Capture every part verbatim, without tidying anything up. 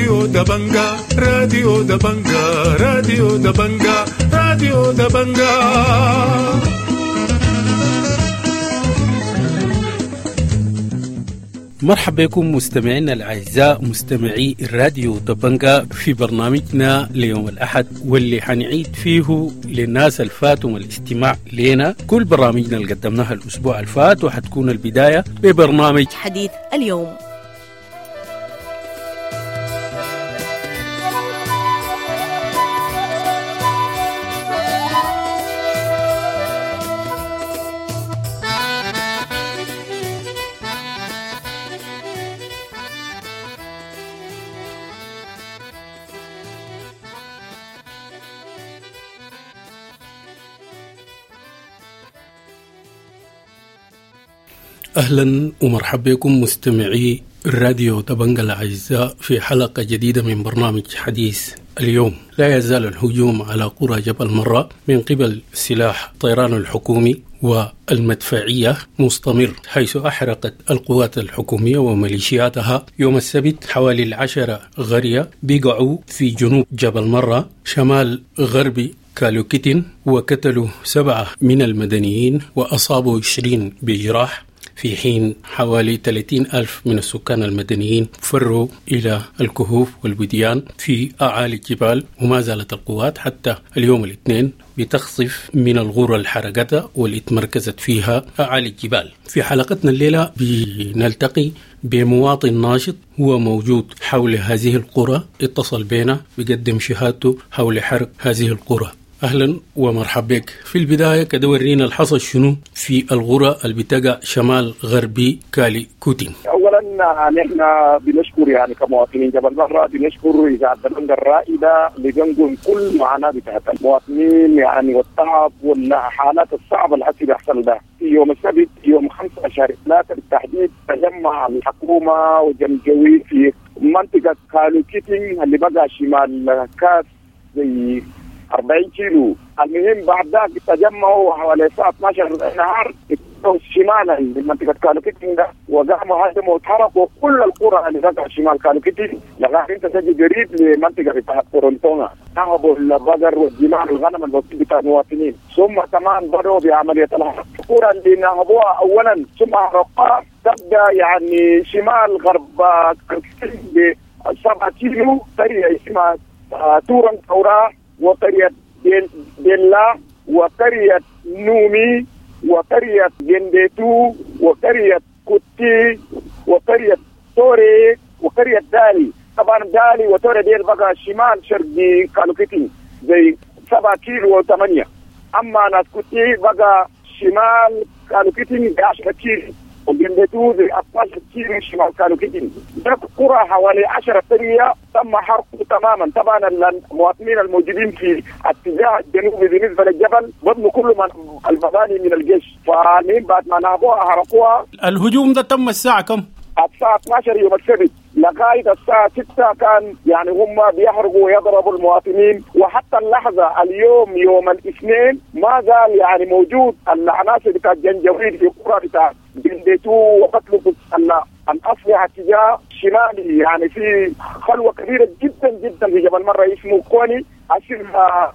راديو دبنجا راديو دبنجا راديو دبنجا راديو دبنجا. مرحبا بكم مستمعينا الأعزاء مستمعي الراديو دبنجا في برنامجنا ليوم الأحد، واللي حنعيد فيه للناس الفاتهم الاستماع لنا كل برامجنا اللي قدمناها الأسبوع الفات، وحتكون البداية ببرنامج حديث اليوم. أهلا ومرحبا بكم مستمعي الراديو دبنجا الأعزاء في حلقة جديدة من برنامج حديث اليوم. لا يزال الهجوم على قرى جبل مرة من قبل سلاح الطيران الحكومي والمدفعية مستمر، حيث أحرقت القوات الحكومية وميليشياتها يوم السبت حوالي العشرة قرية بقعوا في جنوب جبل مرة شمال غربي كالوكيتين، وقتلوا سبعة من المدنيين وأصابوا عشرين بجراح، في حين حوالي ثلاثين ألف من السكان المدنيين فروا إلى الكهوف والوديان في أعالي الجبال. وما زالت القوات حتى اليوم الاثنين بتخصف من الغرة الحرقتها واللي تمركزت فيها أعالي الجبال. في حلقتنا الليلة بنلتقي بمواطن ناشط هو موجود حول هذه القرى، اتصل بنا بيقدم شهادته حول حرق هذه القرى. أهلا ومرحبا بك. في البداية كده ورينا الحصل شنو في الغرة اللي بتقع شمال غربي كالي كوتين. أولا نحن بنشكر يعني كمواطنين جبل مرة بنشكر إذاعة دبنجا الرائدة اللي بنقل كل معاناة بتاعت المواطنين يعني والتعب والحالات الصعبة اللي حسي بيحصل ده. في يوم السبت يوم خمسة شهر ثلاثة بالتحديد تجمع الحكومة وجنجوي في منطقة كالوكيتين اللي بقى شمال كاس زي أربعين كيلو. المهم بعد ذاك تجمعوا حوالي الساعة اثناشر النهار شمالا من منطقة كالوكيتين ده، وقاموا هدموا وتحرقوا كل القرى اللي تقع شمال كالوكيتين لغاية انت تجي قريب لمنطقة بتاعت كورنتونا. نهبوا البقر والجمال والغنم البسيط بتاع المواطنين، ثم كمان بدأوا بعملية الحرق. القرى اللي نهبوها أولا ثم حرقوها تبدأ يعني شمال غرب كالوكيتين بسبعة كيلو، قرية اسمها تورن تورا وقرية بيلا وقرية نومي وقرية جنديتو وقرية كوتي وقرية توري وقرية دالي. طبعا دالي وتوري ديل بقى شمال شرقي كالوكيتين زي سبعة كيلو وثمانية. أما ناس كوتي بقى شمال كالوكيتين بعشرة كيلو وجنديتو زي اثناشر كيلو شمال كالوكيتين. ده قرى حوالي عشرة قرية تم حرقه تماما. طبعا المواطنين الموجودين في اتجاه الجنوبي بالنسبه للجبل بنوا كل من المباني من الجيش، فالمهم بعد ما نهبوها حرقوها. الهجوم ده تم الساعه كم؟ الساعه اثناشر يوم السبت لغايه الساعه ستة كان يعني هم بيحرقوا ويضربوا المواطنين، وحتى اللحظه اليوم يوم الاثنين ما زال يعني موجود العناصر بتاع الجنجويد في قرى بتاع جنديتو وقتلوا الأسلحة اتجاه شمالي. يعني في خلوة كبيرة جدا جدا في جبل مرة اسمه كوني عشان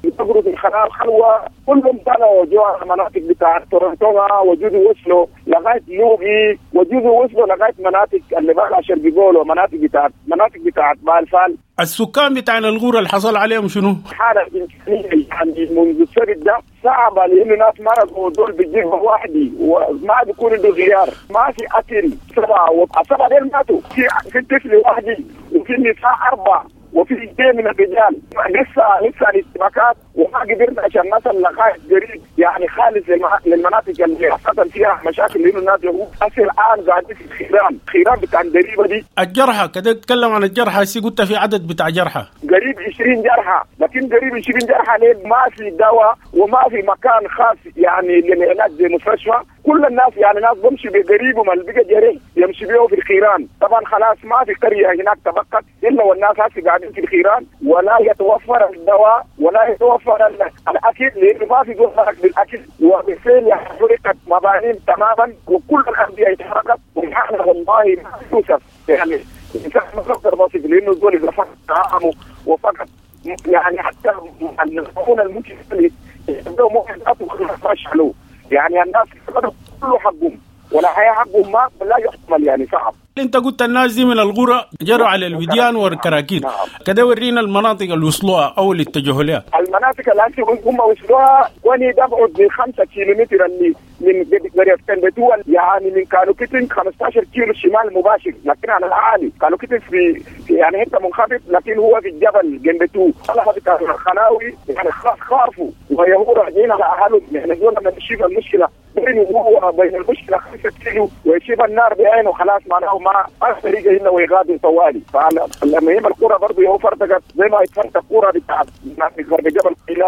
يتغروا في الخلال خلوة كلهم طلعوا جوا المناطق بتاع تورنتونا وجزء وصلوا لغاية لوغي وجزء وصلوا لغاية مناطق اللي بقى شرق جولو مناطق بتاعت مناطق بتاعت بالفال. السكان بتاع الغورة اللي حصل عليهم شنو؟ حالة إنسانية يعني منذ السبت ده صعبة، لأنه ناس مرضوا دول بيجيبوا وحدي وما بيكون عنده غيار، ما في أكل. سبعة وسبعة دول ماتوا، في في طفل وحدي وفي نساء أربعة وفي اثنين من الرجال. لسه لسه الاشتباكات وما قدرنا عشان نصل لغايه قريب يعني خالص للمناطق اللي حصل فيها مشاكل لانه الناس هسه الان قاعدين في خيران خيران بتاع الدريبه دي. الجرحى كده تتكلم عن الجرحى هسه، قلت في عدد بتاع جرحى قريب عشرين جرحى، لكن قريب عشرين جرحى ليه ما في دواء وما في مكان خاص يعني للعلاج زي مستشفى. كل الناس يعني ناس بمشي بقريبهم اللي بقى جريح يمشي بيه في الخيران. طبعا خلاص ما في قريه هناك تبقت الا والناس هسه قاعدين في الخيران، ولا يتوفر الدواء ولا يتوفر الاكل لانه ما في زول بالاكل، وبالفعل حرقت مباني تماما وكل الانديه اتحرقت. والحاله والله ما توصف يعني الانسان ما بيقدر يصف لانه الزول اذا فكر طعامه وفقد يعني حتى المعونة الممكن له، يعني الناس فقدوا كل حقهم ولا حياة حقهم ما لا يحتمل، يعني صعب. انت قلت الناس دي من الغرة جروا على الوديان والكراكير. نعم. كده ورينا المناطق اللي وصلوها او اللي اتجهوا لها. المناطق اللي هم وصلوها وني تبعد بخمسة كيلومتر اللي من قرية كنبتو، يعني من كانوكيتن خمسة عشر كيلو شمال مباشر، لكن على العالي كانوكيتن في, في يعني حته منخفض، لكن هو في الجبل جنبتو. الخلاوي يعني خلاص خافوا ويهو راجعين على اهلهم، يعني دول لما يشوف المشكله بينه وهو بين المشكله خمسة كيلو ويشوف النار بعينه خلاص معناه ما طريقه الا ويغادر طوالي. فالمهم القرى برضه يهو فرتقت زي ما اتفرتق قرى بتاعت غرب جبل الى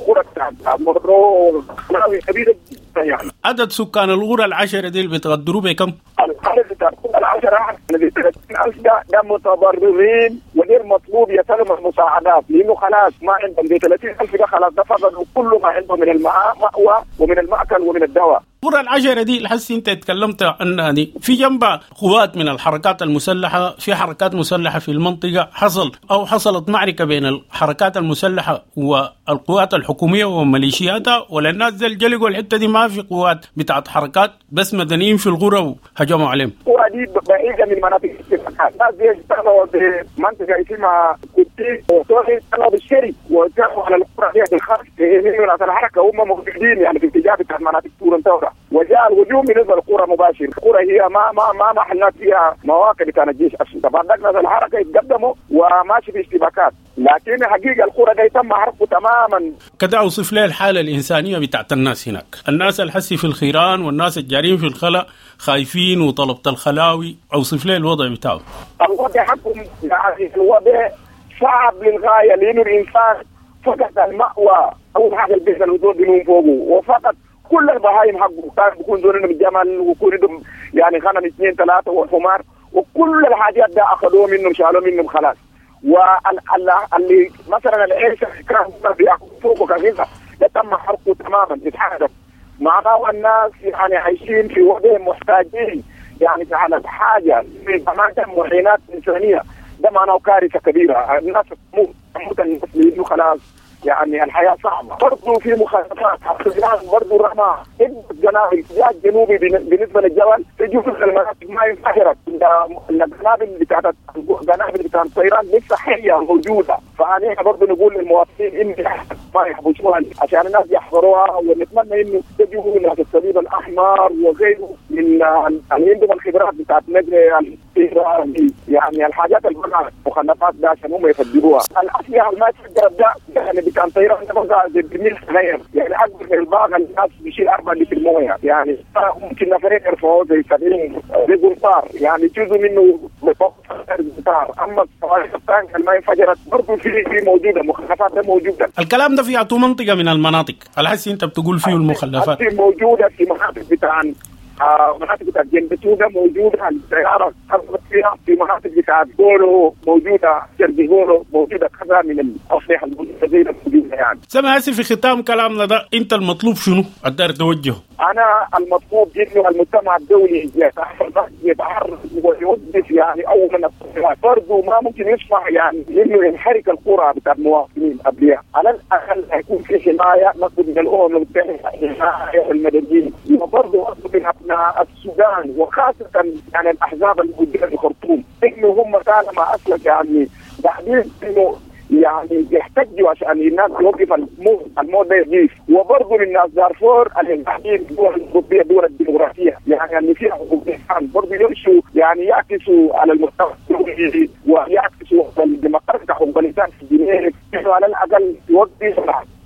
قرى بتاعت مرو خلاوي كبيره جدا. يعني عدد سكان الغرى العشرة دي اللي بتغدروا بكم؟ العدد بتاع القرى العشرة ثلاثين ألف ده, ده متضررين وغير مطلوب يسلم المساعدات، لأنه خلاص ما عندهم دي ثلاثين ألف ده خلاص ده فقدوا كل ما عندهم من المأوى ومن المأكل ومن الدواء. القرى العشرة دي الحس انت اتكلمت عنها دي في جنبها قوات من الحركات المسلحة، في حركات مسلحة في المنطقة، حصل أو حصلت معركة بين الحركات المسلحة والقوات الحكومية وميليشياتها، ولا الناس زي الجلقوا الحتة دي ما في قوات بتاعت حركات بس مدنيين في القرى وهجموا عليهم. القرى دي بعيدة من مناطق الاتفاقات، الناس دي اشتغلوا بمنطقة اسمها كوتي وطولي، اشتغلوا بالشري واتجهوا على القرى دي بالخاص من الحركة، هم موجودين يعني في اتجاه بتاع مناطق تورنتورا، وجاء الهجوم بالنسبه للقرى مباشر. القرى هي ما ما ما محلات فيها مواقع بتاع الجيش اصلا. طبعا ناس الحركه يتقدموا وماشي في اشتباكات، لكن حقيقه القرى دي تم حرقه تماما. كده اوصف لي الحاله الانسانيه بتاعت الناس هناك، الناس الحسي في الخيران والناس الجارين في الخلاء خايفين وطلبة الخلاوي، اوصف لي الوضع بتاعه. الوضع حقهم يعني الوضع صعب للغايه، لانه الانسان فقد المأوى، اول حاجه البيت الوزور بينوم فوقه، وفقد كل البهايم حقه، كان بيكون زول عندهم جمل ويكون عندهم يعني غنم اثنين ثلاثه وحمار، وكل الحاجات ده اخذوه منهم شالوه منهم خلاص. واللي مثلا العيش كان بياكلوا فوقه كغذاء ده تم حرقه تماما، اتحرق. معناه الناس يعني عايشين في وضع محتاجين يعني على حاجه في اماكن معينات انسانيه، ده معناه كارثه كبيره، الناس تموت تموت الناس لانه خلاص يعني الحياة صعبة. برضو في مخالفات الصيدان برضو رمى قنابل الاتجاه الجنوبي بالنسبة للجبل في جزء من المناطق ما انفجرت، القنابل بتاعت القنابل بتاعت الطيران لسه حية موجودة. فأنا برضو نقول للمواطنين إن ما يحبسوها عشان الناس يحضروها، ونتمنى إنه تجوا ناس الصليب الأحمر وغيره من اللي عندهم الخبرات بتاعت نقل الطيران، يعني الحاجات اللي المخلفات ده عشان هم يفجروها. الأسلحة اللي ما تفجرت ده يعني كان طيران ده زي برميل صغير، يعني اكبر من الباغ الناس بيشيل أربعة لتر مويه، يعني ممكن نفرين يرفعوه زي سبعين زي قنطار، يعني جزء منه قنطار. اما الصواريخ الثانيه اللي ما انفجرت برضه في في موجوده، مخلفات ده موجوده. الكلام ده في عطو منطقه من المناطق على حسي انت بتقول فيه المخلفات موجوده في مناطق بتاع آه مناطق بتاعت جنبتودا موجودة، الطيارة حصلت فيها في مناطق بتاعت جولو موجودة، شرقي جولو موجودة، كذا من الأسلحة الموجودة موجودة يعني. سامع في ختام كلامنا ده أنت المطلوب شنو؟ الدار توجهه. أنا المطلوب إنه المجتمع الدولي يتحرك ويوقف يعني أولا الطيارات، برضه ما ممكن يسمح يعني إنه ينحرك القرى بتاع المواطنين قبلها، على الأقل هيكون في حماية نطلب من الأمم المتحدة حماية المدنيين، وبرضه أطلب من السودان وخاصة يعني الأحزاب الموجودة في الخرطوم إنه هم طالما أصلا يعني بعدين إنه يعني يحتجوا عشان الناس توقف الموت الموت ده يجيش. وبرضه من الناس دارفور اللي قاعدين الدول الأوروبية الدول الديمقراطية يعني اللي فيها حقوق الإنسان برضه يمشوا يعني يعكسوا على المستوى الدولي ويعكسوا على الديمقراطية حقوق الإنسان في جنيف، على الأقل يوقف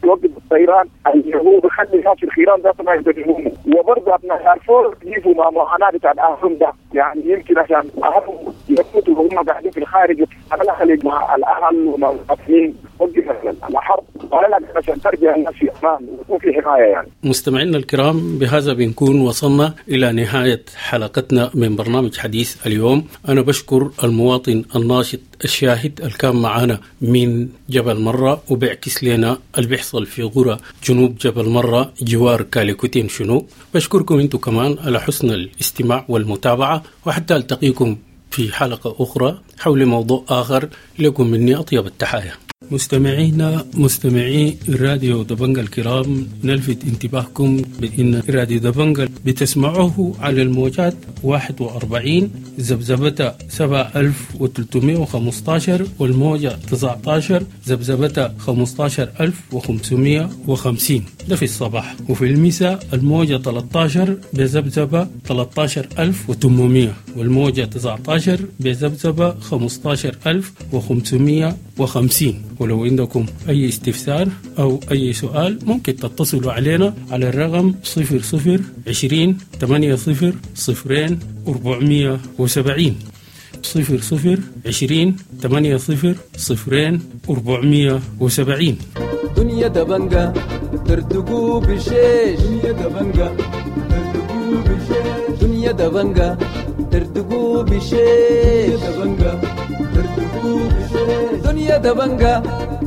يوقف الطيران اللي هو بيخلي الناس في الخيران ده ما يدرهم. وبرضه ابناء دارفور يجوا مع معاناه بتاع اهلهم ده، يعني يمكن عشان اهلهم يموتوا وهم قاعدين في الخارج، على الاقل مع الاهل ومع المواطنين وقف الحرب على الاقل عشان ترجع الناس في امان ويكون في حمايه يعني. مستمعينا الكرام، بهذا بنكون وصلنا الى نهايه حلقتنا من برنامج حديث اليوم. انا بشكر المواطن الناشط الشاهد اللي كان معنا من جبل مرة وبيعكس لنا اللي بيحصل في قرى جنوب جبل مرة جوار كاليكوتين شنو. بشكركم انتم كمان على حسن الاستماع والمتابعة، وحتى التقيكم في حلقة أخرى حول موضوع آخر. لكم مني أطيب التحايا. مستمعينا مستمعي راديو دبنجا الكرام، نلفت انتباهكم بأن راديو دبنجا بتسمعوه على الموجات واحد وأربعين ذبذبة سبعة ألف وثلاثمائة وخمستاشر والموجة تسعتاشر ذبذبة خمستاشر ألف وخمسمائة وخمسين، ده في الصباح، وفي المساء الموجة ثلاثتاشر بذبذبة ثلاثتاشر ألف وثمانمائة والموجة تسعتاشر بذبذبة خمستاشر ألف وخمسمائة وخمسين. ولو عندكم أي استفسار أو أي سؤال ممكن تتصلوا علينا على الرقم صفر صفر عشرين ثمانية صفر صفرين أربعمية وسبعين، صفر صفر عشرين ثمانية صفر صفرين أربعمية وسبعين. دنيا دبنجة تردقوا بشيش، دنيا دبنجة تردقوا بشيش، دنيا دبنجة تردقوا بشيش، دبنجة تردقوا بشيش، دنيا دبنجة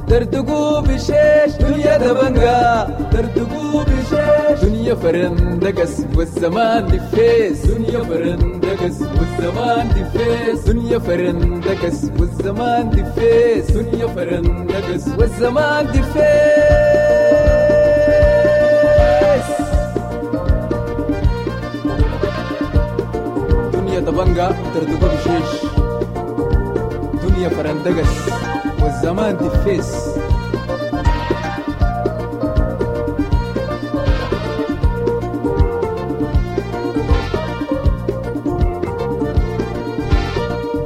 تردقوا بشيش، دنيا دبنجة تردقوا بشيش، دنيا فرندقس والزمان دفيس، دنيا فرندقس والزمان دفيس، دنيا فرندقس والزمان دفيس، دنيا فرندقس والزمان دفيس. دنيا دبنجة تردقوا بشيش، دنيا فرندقس والزمان دفيس.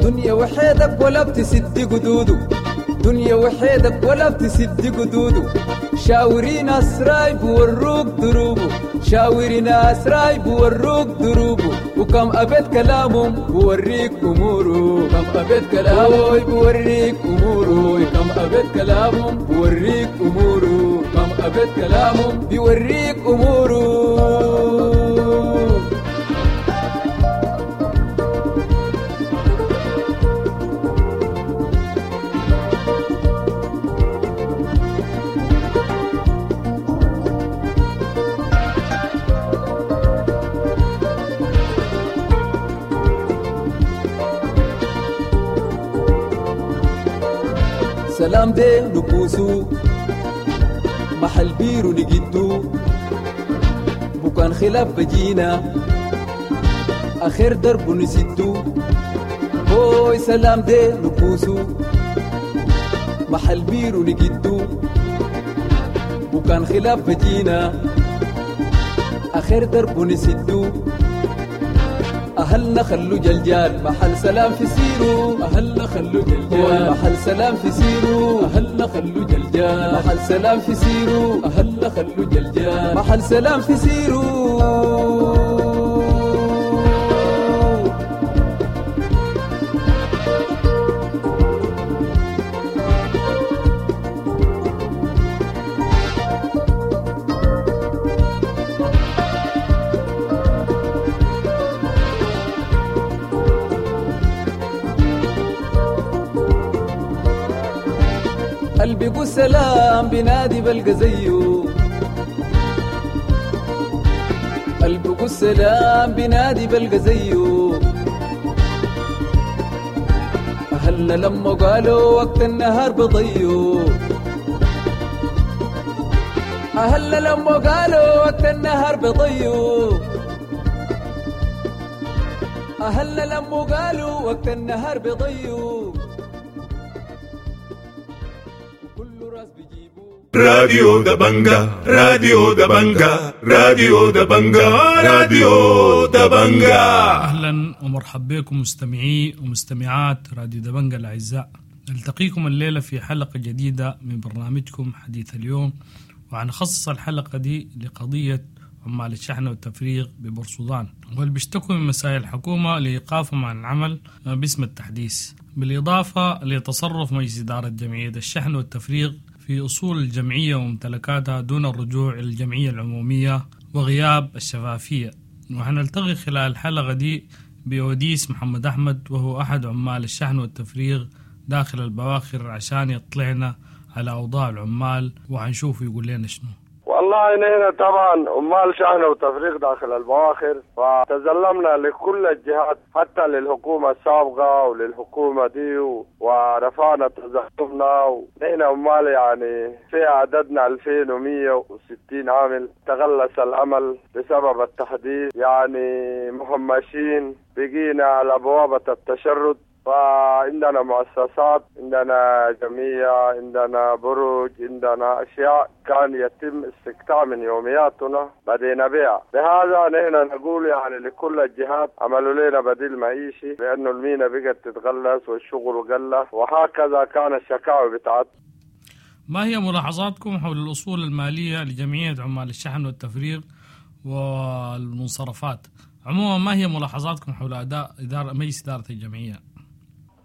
دنيا وحيدك ولا بتسد قدوده، دنيا وحيدك ولا بتسد قدوده، شاوري ناس رايب وروك دروبه، شاوري ناس رايب وروك دروبه، وكم أبيت كلامهم بوريك أموره، كم أبيت كلامهم بوريك أموره، كم أبيت كلامهم بوريك أموره، كم أبيت كلامهم بيوريك أموره. سلام دي نكوسو محل بيرو نجدو، بكان خلاف بجينا آخر درب نسدو، هوي سلام دي نكوسو محل بيرو نجدو، بكان خلاف بجينا آخر درب نسدو، أهلنا خلو جلجال محل سلام في سيرو، أهلنا خلو جلجال محل سلام في سيرو، أهلنا خلو جلجال محل سلام في سيرو، أهلنا خلو جلجال محل سلام في سيرو. قلبي سلام بنادي بلقى زيه، قلبي سلام بنادي بلقى زيه، أهلنا لما قالوا وقت النهار بضيو، أهلنا لما قالوا وقت النهار بضيو، أهلنا لما قالوا وقت النهار بضيو. راديو دبنجا، راديو دبنجا، راديو دبنجا، راديو دبنجا. أهلا ومرحبا بكم مستمعي ومستمعات راديو دبنجا الأعزاء. نلتقيكم الليلة في حلقة جديدة من برنامجكم حديث اليوم، وعنخصص الحلقة دي لقضية عمال الشحن والتفريغ ببورسودان، واللي بيشتكوا من مسائل الحكومة لإيقافهم عن العمل باسم التحديث، بالإضافة لتصرف مجلس إدارة جمعية الشحن والتفريغ في أصول الجمعية وممتلكاتها دون الرجوع إلى الجمعية العمومية وغياب الشفافية. وحنلتقي خلال الحلقة دي بأوديس محمد أحمد، وهو أحد عمال الشحن والتفريغ داخل البواخر، عشان يطلعنا على أوضاع العمال وحنشوف يقول لنا شنو. والله نحن طبعا عمال شحن وتفريغ داخل البواخر، فتزلمنا لكل الجهات حتى للحكومة السابقة وللحكومة دي، ورفعنا تزلمنا. ونحن عمال يعني في عددنا ألفين ومية وستين عامل. تغلس الأمل بسبب التحديث، يعني مهمشين، بقينا على بوابة التشرد. فعندنا مؤسسات، عندنا جمعية، عندنا برج، عندنا أشياء كان يتم استقطاع من يومياتنا بدينا بيع. لهذا نحن نقول يعني لكل الجهات عملوا لنا بديل معيشي، لأنه المينا بقت تتغلس والشغل قل، وهكذا كان الشكاوى بتاعتنا. ما هي ملاحظاتكم حول الأصول المالية لجمعية عمال الشحن والتفريغ والمنصرفات؟ عموما ما هي ملاحظاتكم حول أداء إدارة مجلس إدارة الجمعية؟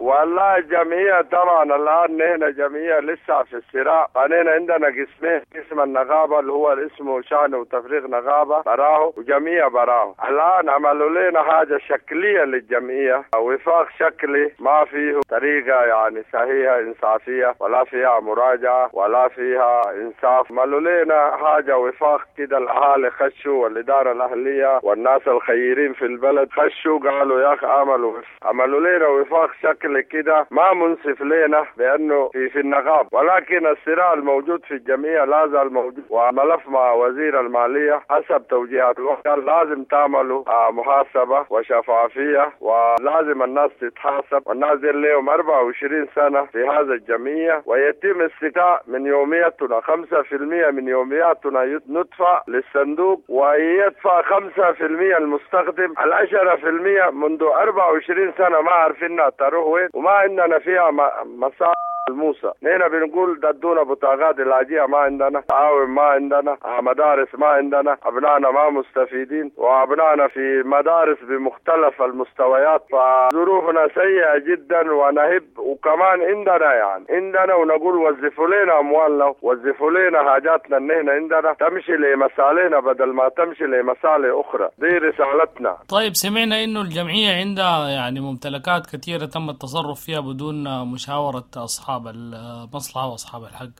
والله الجمعية طبعا الآن نحن جمعية لسه في الصراع. نحن عندنا قسمين، قسم النقابة اللي هو اسمه شحن وتفريغ نقابة براه، وجمعية براه. الآن عملوا لنا حاجة شكلية للجمعية، وفاق شكلي ما فيه طريقة يعني صحيحة إنصافية، ولا فيها مراجعة ولا فيها إنصاف. عملوا لنا حاجة وفاق كده، الأهالي خشوا والإدارة الأهلية والناس الخيرين في البلد خشوا قالوا يا أخي عملوا عملوا لنا وفاق شكلي كده ما منصف لنا بأنه في في النقاب. ولكن الصراع الموجود في الجمعية لا زال موجود، وملف مع وزير المالية حسب توجيهات الوقت لازم تعملوا محاسبة وشفافية، ولازم الناس تتحاسب، والناس دي لهم أربعة وعشرين سنة في هذا الجمعية، ويتم استيفاء من يومياتنا خمسة في المية من يومياتنا ندفع للصندوق، ويدفع خمسة في المية المستخدم. العشرة في المية منذ أربعة وعشرين سنة ما عارفينها تروح وين، وما عندنا فيها مصالح الموسى. نحن بنقول ددونا بطاقات العلاجية ما عندنا، تعاون ما عندنا، مدارس ما عندنا، أبنائنا ما مستفيدين، وأبنائنا في مدارس بمختلف المستويات، فظروفنا سيئة جدا ونهب. وكمان عندنا يعني عندنا ونقول وظفوا لنا أموالنا، وظفوا لنا حاجاتنا اللي نحن عندنا تمشي لمصالحنا بدل ما تمشي لمصالح أخرى. دي رسالتنا. طيب، سمعنا إنه الجمعية عندها يعني ممتلكات كثيرة تم التصرف فيها بدون مشاورة أصحاب المصلحة وأصحاب الحق.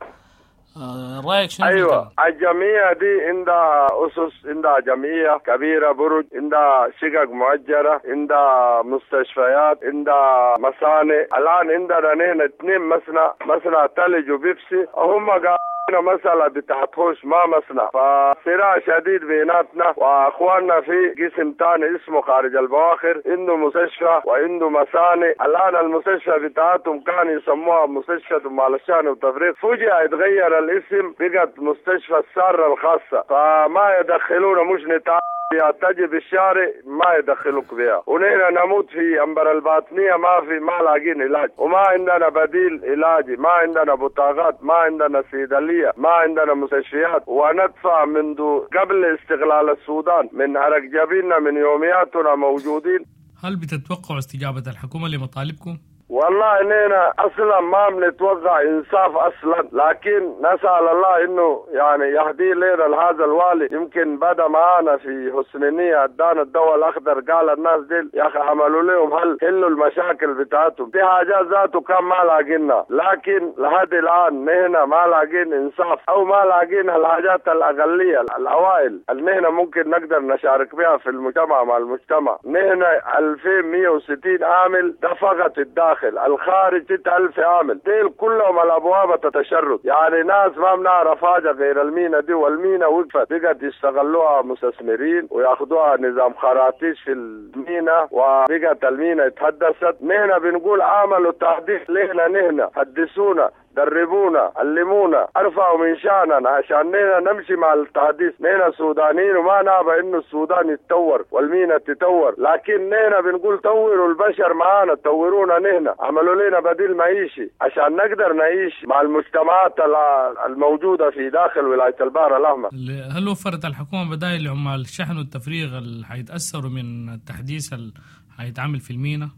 رأيك شنو؟ أيوة، الجمعية دي عندها أسس، عندها جمعية كبيرة، برج، عندها شقق مؤجرة، عندها مستشفيات، عندها مصانع. الآن عندنا نحن اثنين مصنع، مصنع ثلج وبيبسي، هم قالوا مسألة بتاعت خوش ما مصنع. فصراع شديد بيناتنا واخواننا في قسم تاني اسمه خارج البواخر، عنده مستشفى وعنده مصانع. الآن المستشفى بتاعتهم كان يسموها مستشفى عمال الشحن والتفريغ، فجأة اتغير الاسم بقت مستشفى السارة الخاصة، فما يدخلونا مش نتعب تجي بالشارع ما يدخلوك بها، ونحن نموت في أنبر الباطنية ما في ما لاقين علاج، وما عندنا بديل علاجي، ما عندنا بطاقات، ما عندنا صيدلية، ما عندنا مستشفيات، وندفع منذ قبل استقلال السودان من عرق جبيننا من يومياتنا موجودين. هل بتتوقعوا استجابة الحكومة لمطالبكم؟ والله إننا أصلا ما بنتوقع إنصاف أصلا، لكن نسأل الله إنه يعني يهدي لنا هذا الوالي. يمكن بدأ معانا في حسن نية، أدانا الدواء الأخضر، قال الناس دي يا أخي عملوا لهم هل حلوا المشاكل بتاعتهم، دي حاجات ذاته كان ما لاقينا، لكن لحد الآن نحن ما لاقين إنصاف أو ما لاقين الحاجات الأقلية الأوائل اللي نحن ممكن نقدر نشارك بها في المجتمع مع المجتمع. نحن ألفين ومية وستين عامل ده فقط الداخل، الخارج ستة ألف عامل، ديل كلهم على أبواب التشرد، يعني ناس ما بنعرف حاجة غير المينا دي، والمينا وقفت بقت يستغلوها مستثمرين وياخدوها نظام خراطيش في المينا، وبقت المينا اتحدثت. نحن بنقول عملوا تحديث لنا، نحن حدثونا، دربونا، علمونا، ارفعوا من شأننا عشان نحن نمشي مع التحديث. نحن سودانيين وما نابع انه السودان يتطور والمينا تتطور، لكن نحن بنقول طوروا البشر معانا، طورونا نحن، عملوا لنا بديل معيشي عشان نقدر نعيش مع المجتمعات الموجودة في داخل ولاية البحر الأحمر. هل وفرت الحكومة بدائل لعمال الشحن والتفريغ اللي حيتأثروا من التحديث اللي حيتعمل في المينا؟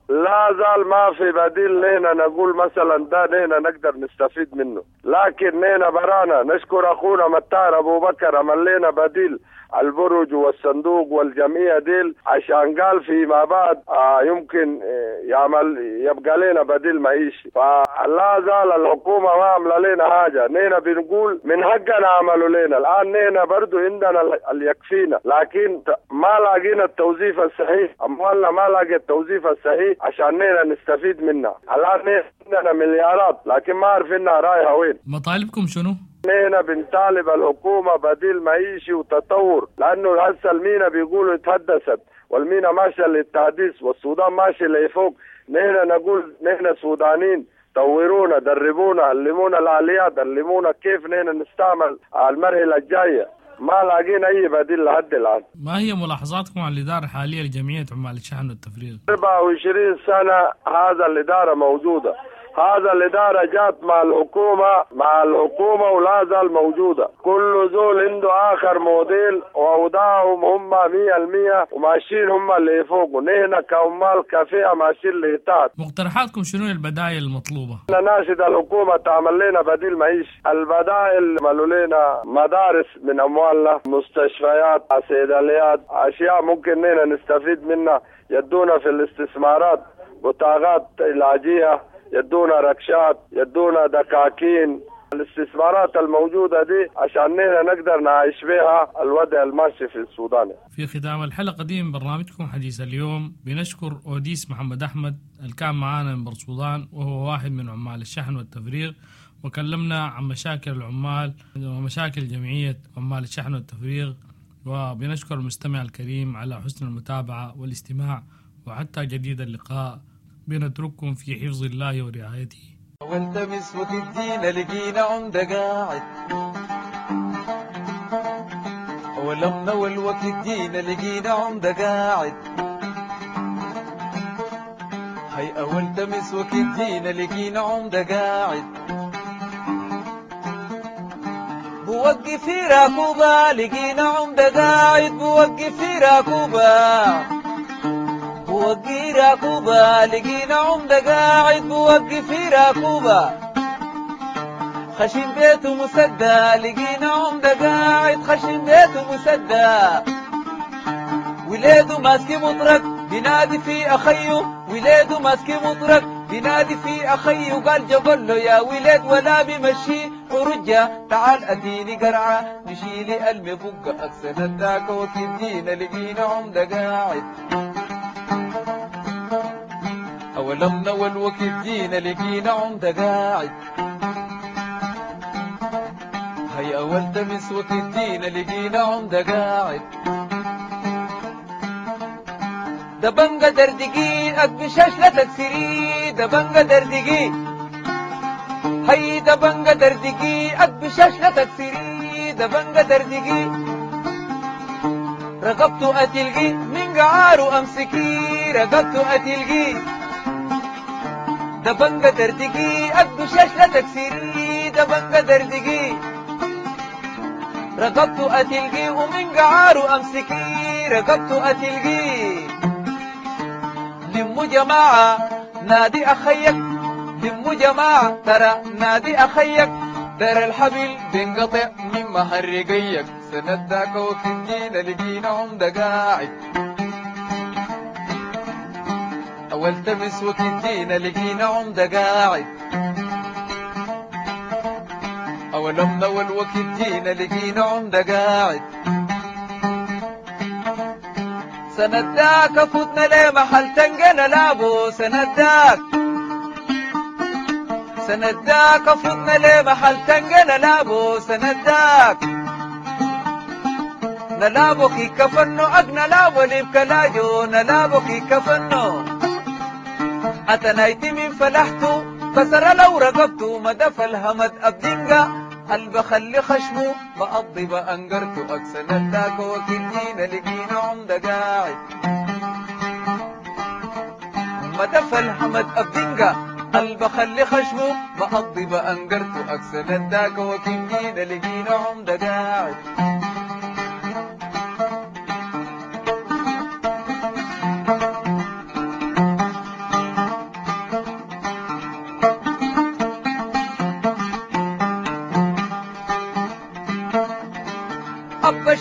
لا زال ما في بديل لنا نقول مثلا ده لنا نقدر نستفيد منه. لكن نينا برانا نشكر أخونا متار أبو بكر عمل لنا بديل البرج والصندوق والجمعية ديل، عشان قال فيما بعد آه يمكن يعمل يبقى لنا بديل معيشي. فلا زال الحكومة ما عمل لنا حاجة، نينا بنقول من حقنا عملوا لنا. الآن نينا برضو عندنا اللي يكفينا، لكن ما لاقينا التوظيف الصحيح، أموالنا ما لاقي التوظيف الصحيح عشان نينا نستفيد منها. الآن نينا عندنا مليارات لكن ما عارفينها رايحة وين. مطالبكم شنو؟ نحن بنطالب الحكومة بديل معيشي وتطور، لأنه هسه المينا بيقولوا اتحدثت والمينا ماشية للتحديث والسودان ماشي لفوق. نحن نقول نحن سودانيين، طورونا، دربونا، علمونا الآليات، علمونا كيف نحن نستعمل المرحلة الجاية. ما لاقينا أي بديل لحد الآن. ما هي ملاحظاتكم على الإدارة الحالية لجمعية عمال الشحن والتفريغ؟ أربعة وعشرين سنة هذا الإدارة موجودة، هذا الإدارة جات مع الحكومة مع الحكومة ولا زال موجودة. كل زول عنده آخر موديل وأوضاعهم هم مية المية وماشيين هم اللي فوق، ونحن كعمال كفئة ماشيين اللي تحت. مقترحاتكم شنو البدائل المطلوبة؟ نناشد الحكومة تعمل لنا بديل معيشي. البدائل عملوا لنا مدارس من أموالنا، مستشفيات، صيدليات، أشياء ممكن نحن نستفيد منها. يدونا في الاستثمارات بطاقات علاجية، يدونا ركشات، يدونا دكاكين. الاستثمارات الموجودة دي عشان نحن نقدر نعيش بها الوضع الماشي في السودان. في ختام الحلقة دي من برنامجكم حديث اليوم بنشكر أوديس محمد أحمد اللي كان معانا من بورتسودان، وهو واحد من عمال الشحن والتفريغ، وكلمنا عن مشاكل العمال ومشاكل جمعية عمال الشحن والتفريغ. وبنشكر المستمع الكريم على حسن المتابعة والاستماع، وحتى جديد اللقاء بنترككم في حفظ الله ورعايته. والتمس وتدينا لقينا عمدة قاعد، ولمنا والوقت جينا لقينا عمدة قاعد. هاي أول تمس وقت جينا لقينا عمدة قاعد، بوقف في راكوبة لقينا عمدة قاعد، بوقف في راكوبة بوقي راكوبة لقينا عمدة قاعد، بوقي في راكوبة خشم بيته مسدى لقينا عمدة قاعد، خشم بيته مسدى وليده ماسك مطرق بينادي في أخيه، وليده ماسك مطرق بينادي في أخيه، قال جبل له يا ولاد ولا بمشي ورجع تعال أديني قرعة نشيلي المفقة أكسن الداك وكدينا لقينا عمدة قاعد. أولمنا والوقت جينا لقينا عمدة قاعد، هيا أول تمس وقت جينا لقينا عمدة قاعد. دبنجة دردقي أقبشاش لا تكسري، دبنجة دردقي هي دبنجة دردقي أقبشاش لا تكسري، دبنجة دردقي رقبته أتلقي من قعاره أمسكي، رقبته أتلقي دبنجة دردقي أقبشاش لا تكسري، دبنجة دردقي رقبته أتلقي ومن قعاره أمسكي، رقبته أتلقي. لمو جماعة نادي أخيك، لمو جماعة ترى نادي أخيك، ترى الحبل بينقطع من مهرقيك، سنداك وكدينا لقينا عمدة قاعد. أول تمس وكدينا لقينا عمدة قاعد، أول أول وكدينا لقينا عمدة قاعد. سنداك فتنا ليه محل تنقنا لابو، سنداك سنداك فتنا ليه محل تنقنا لابو، سنداك نلابو كي كفنو أقنا لابو لبكلاجو، نلابو كي كفنو أتنايتي من فلحتو كسر لو رقبتو مدف الهمد أبدنقا البخلي خشمو بقضي بأنقرتو أكسن الداك وكدينا لقينا عمدة قاعد. مدف الهمد أبدنقا البخلي خشمو بقضي بأنقرتو أكسن الداك وكدينا لقينا عمدة قاعد.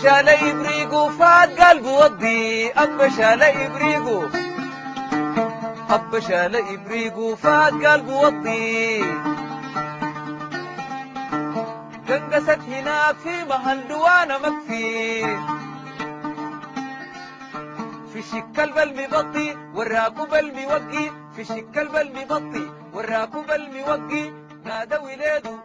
شال إبريقو فات قلبه وضي، أبا شال إبريقو، أبا شال إبريقو فات قلبه وضي. قنقست هناك في محل دوانا مكفي، في شكل بالمبطي والراكب الموقي، في شكل بالمبطي والراكب الموقي. نادى وليده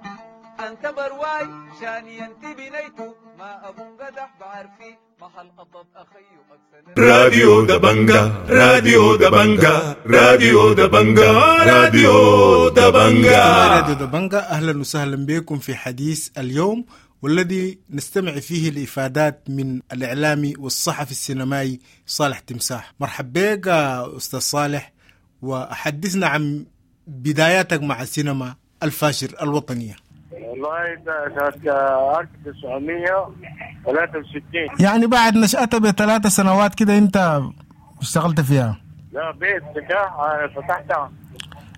أنت برواي شاني أنت بنيته، ما أبو قدح بعرفي محل قطب أخي أكسن. راديو دبنجا، راديو دبنجا، راديو دبنجا، راديو دبنجا. راديو دبنجا، أهلا وسهلا بكم في حديث اليوم، والذي نستمع فيه الإفادات من الإعلامي والصحفي السينمائي صالح تمساح. مرحبا بك أستاذ صالح، وحدثنا عن بداياتك مع السينما الفاشر الوطنية. والله سنة ألف وتسعمية وثلاثة وستين، يعني بعد نشأتها بثلاث سنوات كده أنت اشتغلت فيها؟ لا، بيت فتح فتحتها.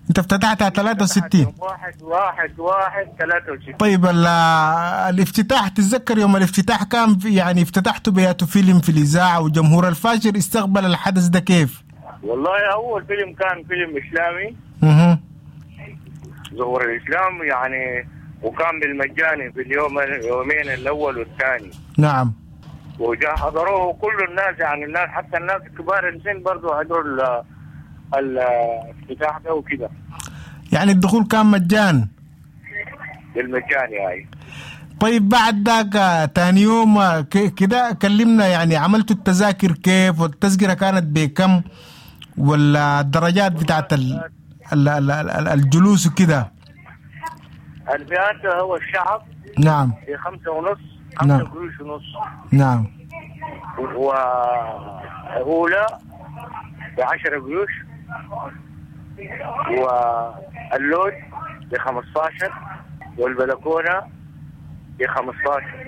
أنت افتتحتها ثلاثة وستين؟ واحد واحد واحد ثلاثة وستين. طيب الافتتاح، تتذكر يوم الافتتاح كان يعني افتتحته بياتو فيلم في الإذاعة، وجمهور الفاشر استقبل الحدث ده كيف؟ والله أول فيلم كان فيلم إسلامي، اها، ظهور الإسلام يعني، وكان بالمجاني في اليوم اليومين الأول والثاني. نعم. وجاء حضروه كل الناس، يعني الناس حتى الناس الكبار السن برضو حضروا الافتتاح ده وكده. يعني الدخول كان مجان؟ بالمجان يعني. طيب بعد ذاك تاني يوم كده كلمنا، يعني عملتوا التذاكر كيف، والتذكرة كانت بكم، ولا الدرجات بتاعت ال ال ال الجلوس وكده؟ الفئات هو الشعب. نعم. في خمسة ونص، خمسة نعم. قروش ونص. نعم. وأولى بعشرة قروش، واللود بخمستاشر، والبلكونة بخمستاشر.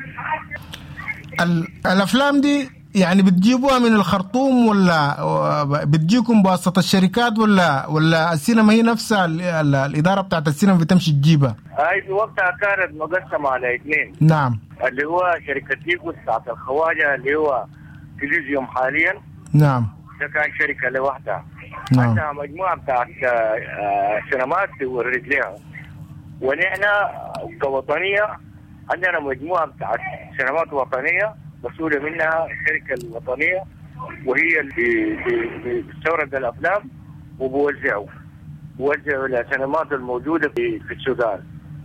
الأفلام دي يعني بتجيبوها من الخرطوم ولا بتجيكم بواسطة الشركات، ولا ولا السينما هي نفسها ال ال الإدارة بتاعت السينما بتمشي تجيبها؟ هاي في وقتها كانت مقسمة على اثنين. نعم. اللي هو شركة تيكوس بتاعت الخواجة اللي هو تلفزيون حاليا. نعم. ده كان شركة لوحدها. نعم. عندها مجموعة بتاعت سينمات تورد لها، ونحن كوطنية عندنا مجموعة بتاعت سينمات وطنية مسؤولة منها الشركة الوطنية، وهي اللي بتستورد الأفلام وبوزعه بوزعه للسينمات الموجودة في في السودان.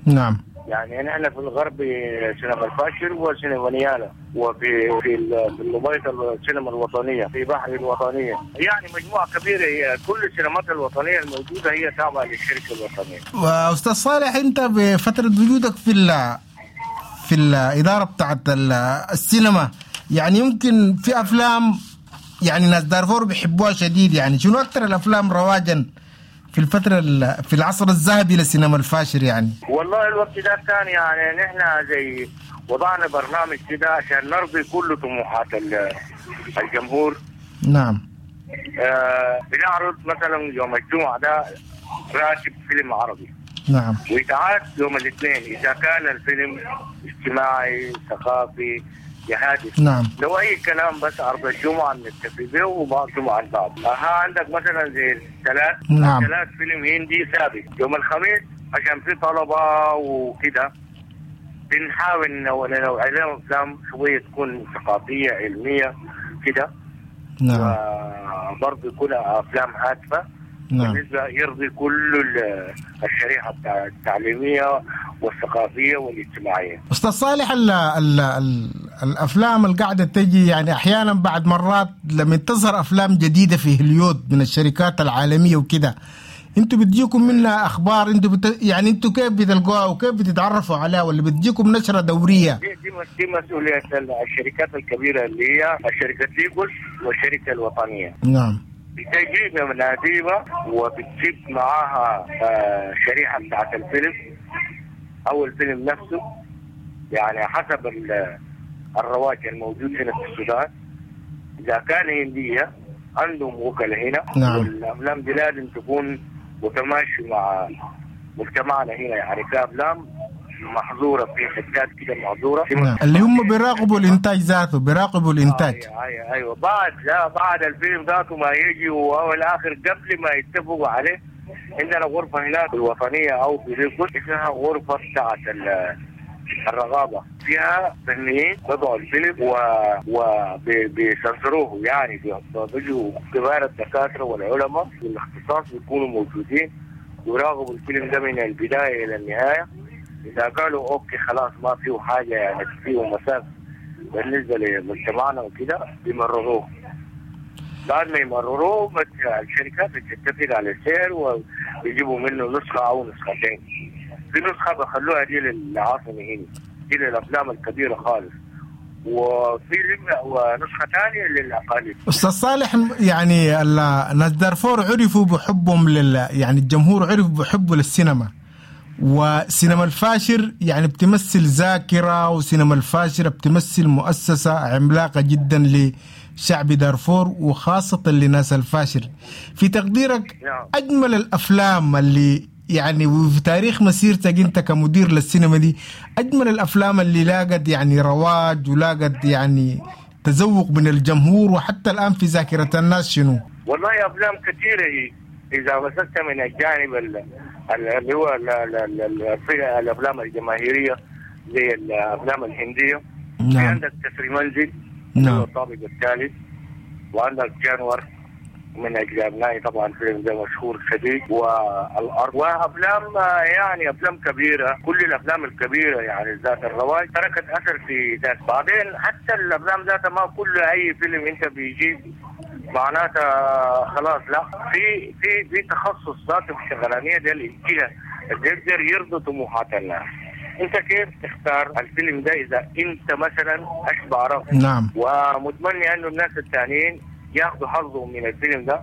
نعم. يعني نحن في الغرب سينما الفاشر وسينما نيالا، وفي في الأبيض السينما الوطنية، في بحر الوطنية، يعني مجموعة كبيرة. هي كل السينمات الوطنية الموجودة هي تابعة للشركة الوطنية. وأستاذ صالح، أنت بفترة وجودك في ال في الإدارة بتاعت السينما، يعني يمكن في أفلام يعني ناس دارفور بيحبوها شديد، يعني شنو أكثر الأفلام رواجا في الفترة في العصر الذهبي للسينما الفاشر يعني؟ والله الوقت ده كان يعني نحن زي وضعنا برنامج كده عشان نرضي كل طموحات الجمهور. نعم. آه بنعرض مثلا يوم الجمعة ده راتب فيلم عربي. نعم. ويتعاد يوم الاثنين إذا كان الفيلم اجتماعي ثقافي جهادي. نعم. لو أي كلام بس عرض الجمعة نتفق به وبعض جمعة البعض. أها عندك مثلا زي الثلاث. نعم. ثلاث فيلم هندي ثابت يوم الخميس عشان في طلبة وكده، بنحاول نوع لهم أفلام شوية تكون ثقافية علمية كده. نعم. وبرضه يكون أفلام هادفة. نعم. بالنسبة يرضي كل الشريحة التعليمية والثقافية والاجتماعية. أستاذ صالح، ال ال ال الأفلام القاعدة تجي يعني أحيانا بعد مرات لما تظهر أفلام جديدة في هوليود من الشركات العالمية وكده، انتوا بتجيكم منها أخبار؟ انتوا بت... يعني انتوا كيف بتلقوها وكيف بتتعرفوا عليها، ولا بتجيكم نشرة دورية؟ دي, دي, دي مسؤولية الشركات الكبيرة اللي هي الشركة تيكوس والشركة الوطنية. نعم. بتجيب مناديبة وبتجيب معاها شريحة بتاعت الفيلم أو الفيلم نفسه، يعني حسب الرواج الموجود هنا في السودان. إذا كان هندية عندهم وكلاء هنا. نعم. والأفلام دي لازم تكون متماشي مع مجتمعنا هنا، يعني كأفلام محظورة في حتات كده محظورة. نعم. اللي هم بيراقبوا الانتاج ذاته، بيراقبوا الانتاج. ايوه ايوه, أيوة. بعد لا بعد الفيلم ذاته ما يجي وهو الاخر قبل ما يتفقوا عليه عندنا غرفة هناك الوطنية او في ريكوت اسمها غرفة بتاعت الرغابه، فيها فنيين بيضعوا الفيلم و وبيسنسروه، يعني بيجوا كبار الدكاترة والعلماء والاختصاص بيكونوا موجودين ويراقبوا الفيلم ده من البداية الى النهاية. اذا قالوا okay خلاص ما فيه حاجة يعني فيه مساس بالنسبة لمجتمعنا وكده بيمرروه. بعد ما يمرروه الشركات بتتفق على السعر وبيجيبوا منه نسخه او نسختين. في نسخه بخلوها دي للعاصمه هنا، دي للافلام الكبيرة خالص، وفي ونسخة ثانية للاقاليم. استاذ صالح، يعني الناس دارفور عرفوا بحبهم لل يعني الجمهور عرف بحبه للسينما، وسينما الفاشر يعني بتمثل ذاكرة، وسينما الفاشر بتمثل مؤسسة عملاقة جدا لشعب دارفور وخاصة لناس الفاشر. في تقديرك أجمل الأفلام اللي يعني وفي تاريخ مسيرتك أنت كمدير للسينما دي، أجمل الأفلام اللي لاقت يعني رواج ولاقت يعني تذوق من الجمهور وحتى الآن في ذاكرة الناس شنو؟ والله أفلام كثيرة هي إذا مسكت من الجانب اللي هو الأفلام الجماهيرية زي الأفلام الهندية. نعم. في عندك كسر منزل. نعم. الطابق الثالث، وعندك جانور من أجل أبنائي طبعا فيلم ده مشهور شديد، والأرض، وأفلام يعني أفلام كبيرة، كل الأفلام الكبيرة يعني ذات الرواج تركت أثر في ذات. بعدين حتى الأفلام ذاتها ما كل أي فيلم أنت بيجيب معناتها خلاص، لا، في في في تخصص ذاته في الشغلانيه دي الجهة اللي يقدر يرضي طموحات الناس. انت كيف تختار الفيلم ده اذا انت مثلا اشبع رغبة؟ نعم. ومتمني انه الناس الثانيين ياخذوا حظهم من الفيلم ده،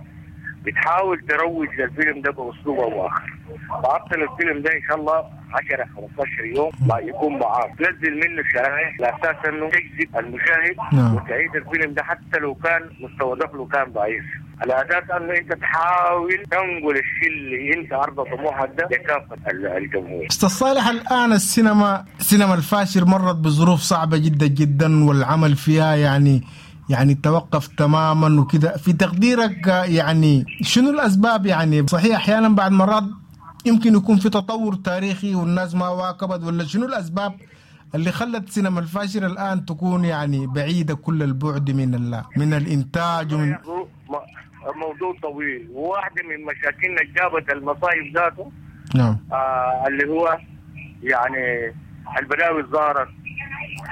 بتحاول تروج للفيلم ده باسلوب او اخر. تعطل الفيلم ده ان شاء الله عشرة خمستاشر يوم ما يكون معاك، تنزل منه شرائح على اساس انه تجذب المشاهد. نعم. وتعيد الفيلم ده حتى لو كان مستوى دخله كان ضعيف، على اساس انه انت تحاول تنقل الشيء اللي انت عرض طموحك ده لكافة الجمهور. استاذ صالح، الان السينما سينما الفاشر مرت بظروف صعبة جدا جدا، والعمل فيها يعني يعني توقف تماما وكده. في تقديرك يعني شنو الأسباب؟ يعني صحيح أحيانا بعد مرات يمكن يكون في تطور تاريخي والناس ما واكبت، ولا شنو الأسباب اللي خلت سينما الفاشر الآن تكون يعني بعيدة كل البعد من ال من الإنتاج ومن موضوع طويل؟ وواحدة من مشاكلنا جابت المصايب ذاته. نعم. آه اللي هو يعني البلاوي ظهرت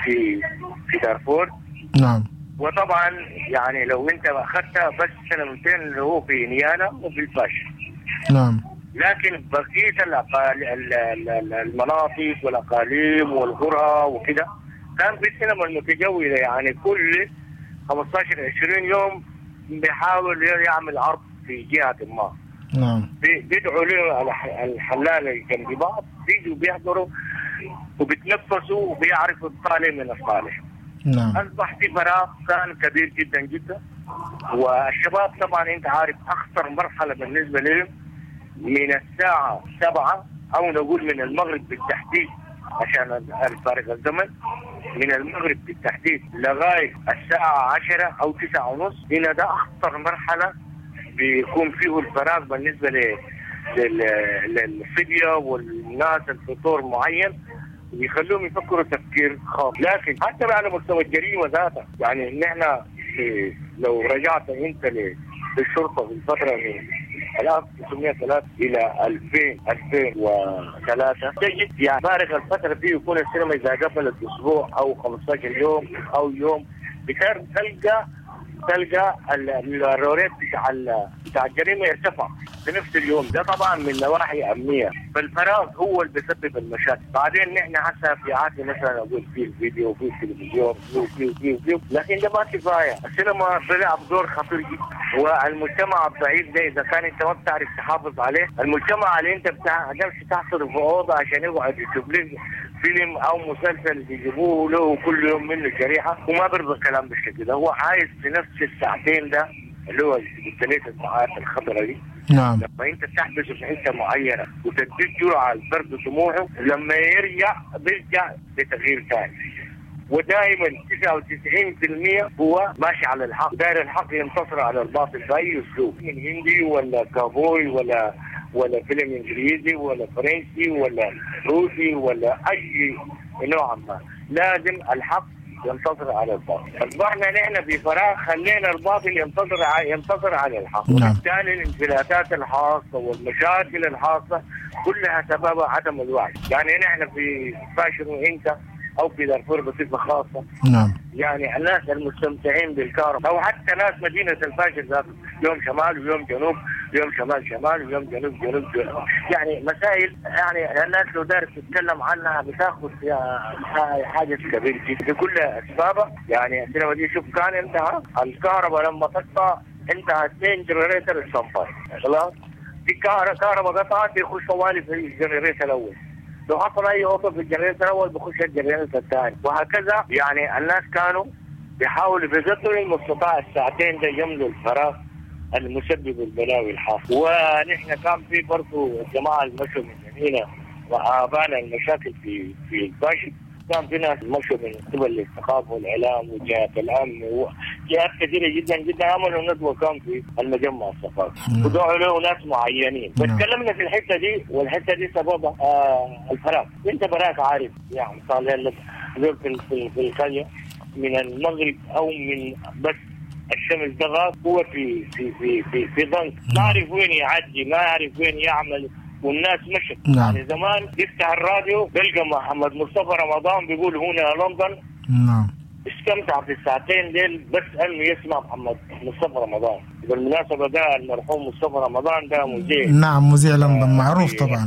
في في دارفور. نعم. وطبعا يعني لو انت اخذتها بس سنتين اللي هو في نيالا وفي الفاشر. نعم. لكن بقية المناطق والاقاليم والقرى وكده كان في السينما المتجوله، يعني كل خمستاشر عشرين يوم بيحاول يعمل عرض في جهة ما. نعم. بيدعوا له الحلال اللي جنب بعض، بيجوا بيحضروا وبيتنفسوا وبيعرفوا الطالع من الصالح. نعم. أصبح في فراغ كان كبير جدا جدا، والشباب طبعا أنت عارف أخطر مرحلة بالنسبة لهم من الساعة سبعة أو نقول من المغرب بالتحديد عشان الفارق الزمن، من المغرب بالتحديد لغاية الساعة عشرة أو تسعة ونص. هنا ده أخطر مرحلة بيكون فيه الفراغ بالنسبة للصبية والناس الفطور معين، ويخلوهم يفكروا تفكير خاص. لكن حتى على مستوى الجريمة ذاتها، يعني نحن لو رجعت انت للشرطة في الفترة من ألف وتسعمية وثلاثة الى ألفين ألفين وثلاثة تجد يعني فارق الفترة دي يكون السينما اذا قفلت اسبوع او خمستاشر يوم او يوم، بتلقى تلقى الروريت بتاع بتاع الجريمة يرتفع في نفس اليوم ده، طبعا من نواحي امنية. فالفراغ هو اللي بيسبب المشاكل. بعدين نحن هسه في عادة مثلا اقول في الفيديو وفي التلفزيون وفي وفي وفي، لكن ده ما كفاية. السينما بيلعب دور خطير جدا، والمجتمع الضعيف ده اذا كان انت ما بتعرف تحافظ عليه، المجتمع اللي انت بتعرفش تحصره في اوضة عشان يقعد يشوف لك فيلم او مسلسل بيجيبوه له كل يوم منه شريحة، وما بيرضى الكلام بالشكل ده. هو عايز في نفس الساعتين ده اللي هو قلت الساعات الخضراء دي. نعم. لما انت تحبسه في حته معينه وتديه جرعه البرد طموحه، لما يرجع بيرجع بتغيير ثاني. ودائما تسعة وتسعين بالمئة هو ماشي على الحق، داير الحق ينتصر على الباطل باي اسلوب، من هندي ولا كابوي ولا ولا فيلم انجليزي ولا فرنسي ولا روسي ولا اي نوع ما، لازم الحق ينتصر على الباطل. اصبحنا نحن في فراغ خلينا الباطل ينتصر ينتصر على الحق. نعم. وبالتالي الانفلاتات الحاصله والمشاكل الحاصله كلها سببها عدم الوعي. يعني نحن في فاشر وانت او في دارفور بصفه خاصه، نعم، يعني الناس المستمتعين بالكهرباء او حتى ناس مدينه الفاشر ذاته، يوم شمال ويوم جنوب، يوم شمال شمال ويوم جنوب جنوب جنوب، يعني مسائل يعني الناس لو دارت تتكلم عنها بتاخذ فيها حاجه كبيره جدا بكل اسبابها. يعني السينما دي شوف كان انتهى الكهرباء لما تقطع انتهى اثنين generator standby، خلاص في كهرباء قطعت بيخش طوالي في ال generator الاول، لو حصل اي عطل في ال generator الاول بخش ال generator الثاني، وهكذا. يعني الناس كانوا بيحاولوا بقدر المستطاع الساعتين ده يملوا الفراغ المسبب البلاوي الحاصل. ونحن كان في برضه الجماعه اللي مشوا من هنا وابانا المشاكل في في الفاشل، كان في ناس مشوا من قبل الثقافه والاعلام وجهات الامن وجهات كثيره جدا جدا، عملوا ندوه كان في المجمع الثقافي ودعوا له ناس معينين. فتكلمنا في الحته دي، والحته دي سببها آه الفراغ. انت براك عارف يعني صار زرت في, في القريه من المغرب او من بس الشمس ده هو في في في في, في ضنك، ما عارف وين يعدي، ما عارف وين يعمل، والناس مشت. نعم. يعني زمان يفتح الراديو بيلقى محمد مصطفى رمضان بيقول هنا لندن. نعم. استمتع في الساعتين ديل بس انه يسمع محمد مصطفى رمضان. بالمناسبه ده المرحوم مصطفى رمضان ده مذيع. نعم، مذيع لندن معروف طبعا،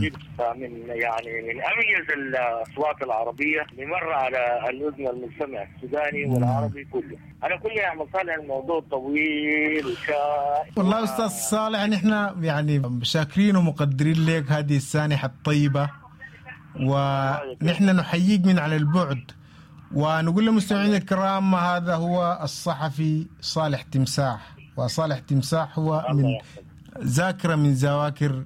من يعني من اميز الاصوات العربيه اللي مر على الاذن المجتمع السوداني والعربي كله. انا كل يا عم صالح الموضوع طويل وشائك. والله استاذ صالح نحن يعني شاكرين ومقدرين لك هذه السانحه الطيبه، ونحن نحييك من على البعد، ونقول للمستمعين الكرام هذا هو الصحفي صالح تمساح. وصالح تمساح هو من ذاكرة من ذواكر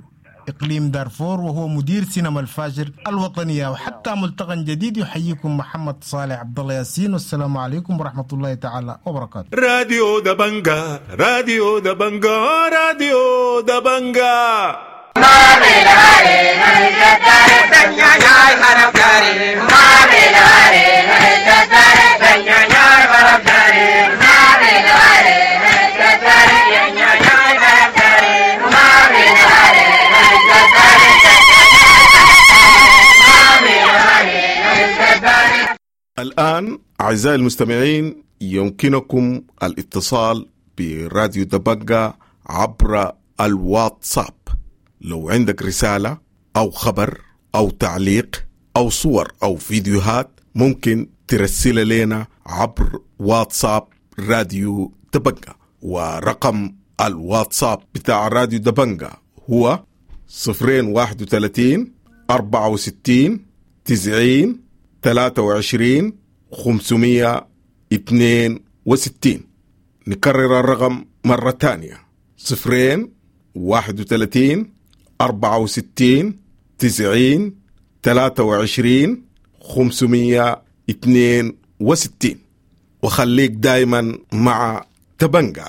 إقليم دارفور، وهو مدير سينما الفاجر الوطنية. وحتى ملتقى جديد يحييكم محمد صالح عبد الله ياسين، والسلام عليكم ورحمة الله تعالى وبركاته. راديو دبنجا، راديو دبنجا، راديو دبنجا. الآن أعزائي المستمعين يمكنكم الاتصال براديو دبنجا عبر الواتساب. لو عندك رسالة أو خبر أو تعليق أو صور أو فيديوهات ممكن ترسل لنا عبر واتساب راديو دبنجا، ورقم الواتساب بتاع راديو دبنجا هو صفرين واحد وثلاثين أربعة وستين تسعين ثلاثة وعشرين خمسمية اثنين وستين. نكرر الرقم مرة تانية: صفرين واحد وثلاثين أربعة وستين تسعين ثلاثة وعشرين خمسمية اثنين وستين. وخليك دايما مع تبنجا.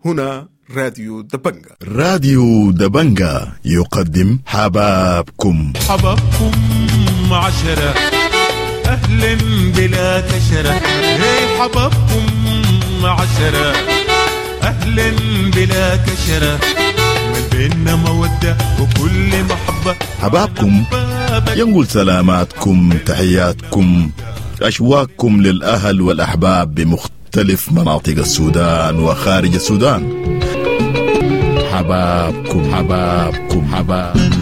هنا راديو دبنجا. راديو دبنجا يقدم حبابكم. حبابكم عشرة أهلا بلا كشرة، هي حبابكم عشرة أهلا بلا كشرة، من بيننا مودة وكل محبة. حبابكم ينقل سلاماتكم تحياتكم أشواقكم للأهل والأحباب بمختلف مناطق السودان وخارج السودان. حبابكم حبابكم حباب.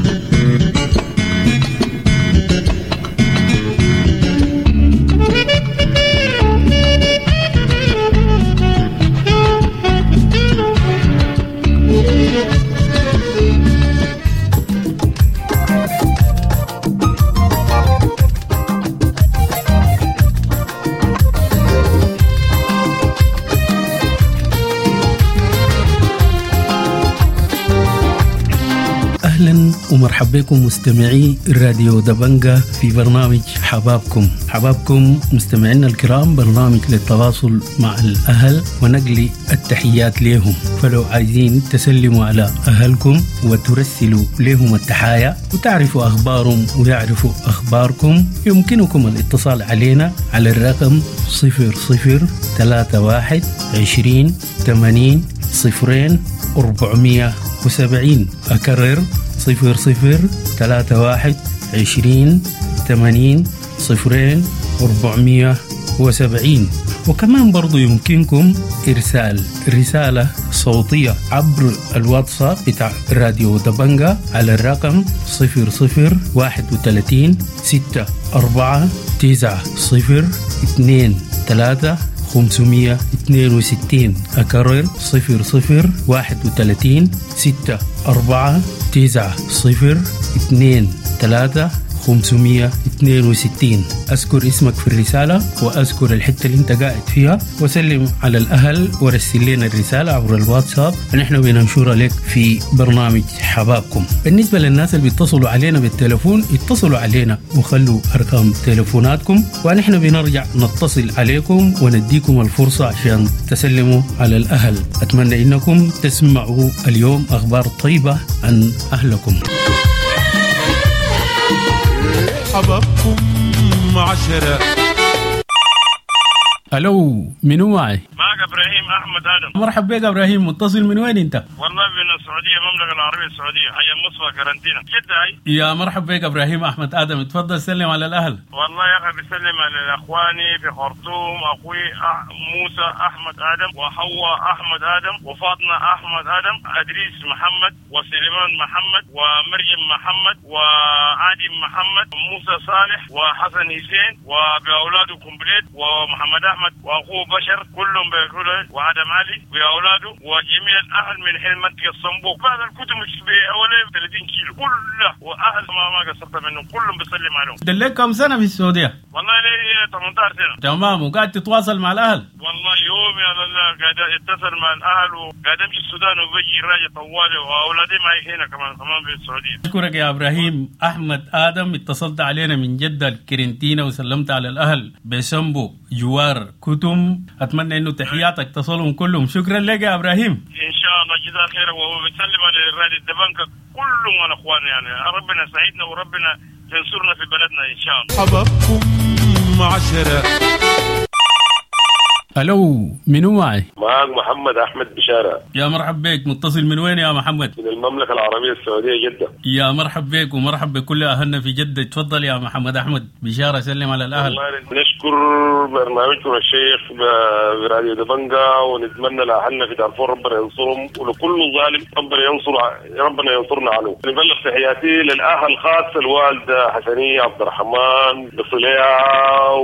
أهلا ومرحبا بكم مستمعي راديو دبنجة في برنامج حبابكم. حبابكم مستمعينا الكرام برنامج للتواصل مع الأهل ونقل التحيات لهم، فلو عايزين تسلموا على أهلكم وترسلوا لهم التحايا وتعرفوا أخبارهم ويعرفوا أخباركم، يمكنكم الاتصال علينا على الرقم صفر صفر ثلاثة واحد عشرين ثمانين صفرين أربعمية وسبعين. أكرر صفر صفر ثلاثة واحد عشرين ثمانين صفرين أربعمية وسبعين. وكمان برضو يمكنكم إرسال رسالة صوتية عبر الواتساب بتاع راديو دبنجة على الرقم صفر صفر واحد وثلاثين ستة أربعة تسعة صفر اثنين ثلاثة خمسمية اثنين وستين. أكرر صفر صفر واحد وثلاثين ستة أربعة تسعة صفر اثنين ثلاثة خمسمية اثنين وستين. أذكر اسمك في الرسالة وأذكر الحتة اللي انت قاعد فيها وسلم على الأهل ورسل لنا الرسالة عبر الواتساب، نحن بننشرها لك في برنامج حبابكم. بالنسبة للناس اللي بيتصلوا علينا بالتلفون، اتصلوا علينا وخلوا أرقام تلفوناتكم ونحن بنرجع نتصل عليكم ونديكم الفرصة عشان تسلموا على الأهل. أتمنى إنكم تسمعوا اليوم أخبار طيبة عن أهلكم. حبابكم عشرة. ألو، منو معي؟ معك إبراهيم أحمد آدم. مرحبا بك إبراهيم، متصل من وين أنت؟ والله من السعودية، المملكة العربية السعودية، حي المصفى كارنتينا جدة. هاي يا مرحبا بك إبراهيم أحمد آدم، تفضل سلم على الأهل. والله يا أخي بسلم على إخواني في خرطوم، أخوي أح... موسى أحمد آدم، وحواء أحمد آدم، وفاطمة أحمد آدم، أدريس محمد، وسليمان محمد، ومريم محمد، وعادل محمد، وموسى صالح، وحسن حسين، وبأولاده كومبليت، ومحمد أحمد وأخوه بشر، كلهم بيقولوا، وآدم علي وأولاده، وجميع الأهل من حين منطقة الصنبوق. بعد الكتب بحوالي ثلاثين كيلو كله، وأهل ما ما قصرت منهم، كلهم بيسلم عليهم. دلك كم سنة في السعودية؟ والله لي ثمانية عشر سنة. تمام، وقاعد تتواصل مع الأهل؟ والله يوم يا الله قاعد اتصل مع الأهل، وقاعد أمشي السودان وبجي راجع طوالي، وأولادي معي هنا كمان كمان في السعودية. أشكرك يا إبراهيم أحمد آدم، اتصلت علينا من جدة الكرنتينة وسلمت على الأهل بسمبو جوار كتم. أتمنى إنه تحياتك تصلهم كلهم. شكرا لك يا إبراهيم. إن شاء الله جزاك خير، وهو بيسلم على الرادي الدبنكة كلهم على إخواني، يعني ربنا سعيدنا وربنا ينصرنا في بلدنا إن شاء الله. حبابكم عشرة. ألو، منو معي؟ معك محمد أحمد بشارة. يا مرحب بك، متصل من وين يا محمد؟ من المملكة العربية السعودية جدة. يا مرحب بك ومرحب بكل أهلنا في جدة. تفضل يا محمد أحمد بشارة، سلم على الأهل. والله نشكر برنامجكم الشيخ براديو دبنجة، ونتمنى لأهلنا في دارفور ربنا ينصرهم، ولكل ظالم ربنا ينصر ربنا ينصرنا عنه. نبلغ تحياتي للأهل خاص الوالدة حسنية عبد الرحمن بصليعة،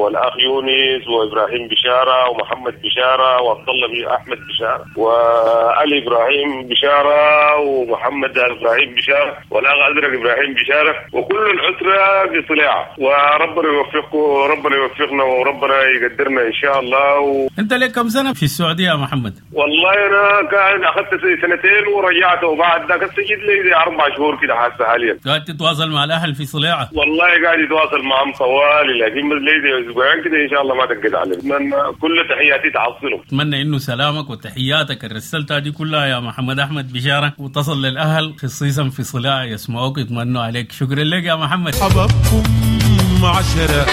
والأخ يونس، وإبراهيم بشارة، ومحمد بشارة، وعبد الله أحمد بشارة، وعلي إبراهيم بشارة، ومحمد إبراهيم بشارة، والأخ أزرق إبراهيم بشارة، وكل الأسرة بصليعة. وربنا يوفقكم وربنا يوفقنا وربنا يقدرنا إن شاء الله. و... أنت لك كم سنة في السعودية يا محمد؟ والله أنا كان أخذت سنتين ورجعت، وبعد ذاك سجلت لي أربع شهور كده حاسة حاليا. قاعد تتواصل مع الأهل في صليعة؟ والله قاعد يتواصل معهم طوالي، لكن لي أسبوعين كده إن شاء الله ما تنقد عليهم. كل تحياتي تعصلهم. أتمنى إنه سلامك وتحياتك اللي رسلتها دي كلها يا محمد أحمد بشارة وتصل للأهل خصيصا في صلاة يسمعوك يتمنوا عليك. شكرا لك يا محمد. حبابكم عشرة.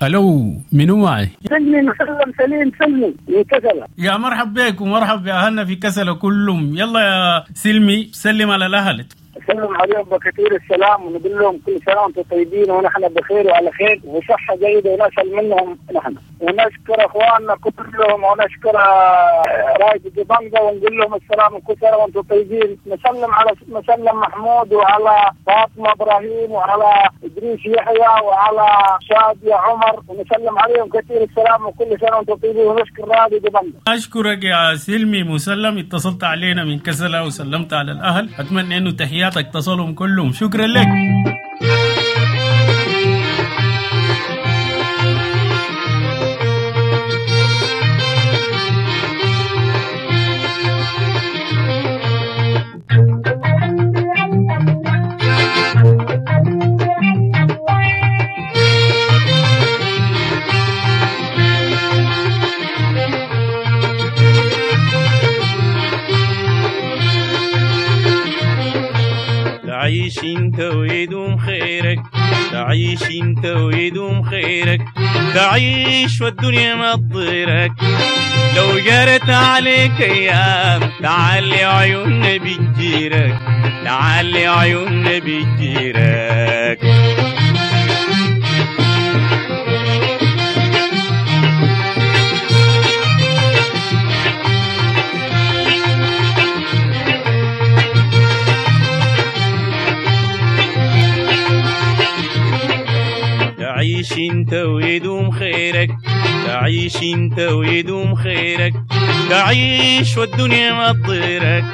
ألو، منو معي؟ سلمي مسلم سليم سلمي من كسلة. يا مرحب بك ومرحب بأهلنا في كسلة كلهم. يلا يا سلمي سلم على الأهل. نسلم عليهم بكثير السلام ونقول لهم كل سنة وأنتم طيبين ونحن بخير وعلى خير وصحة جيدة ونسأل منهم نحن. ونشكر أخواننا كلهم ونشكر رايد دبنجة ونقول لهم السلام وكل سنة وأنتم طيبين. نسلم على مسلم محمود وعلى فاطمة إبراهيم وعلى إدريس يحيى وعلى شادية عمر ونسلم عليهم كثير السلام وكل سنة وأنتم طيبين ونشكر راديو دبنجة. أشكرك يا سلمي مسلم، اتصلت علينا من كسلة وسلمت على الأهل، أتمنى أنه تحياتك تصلهم كلهم. شكرا لك. تعيش انت ويدوم خيرك، تعيش انت ويدوم خيرك، تعيش والدنيا ما تضيرك. لو جرت عليك ايام تعالي عيوننا بتجيرك، تعالي عيوننا بتجيرك. تعيش انت ويدوم خيرك، تعيش انت ويدوم خيرك، تعيش والدنيا ما تضيرك.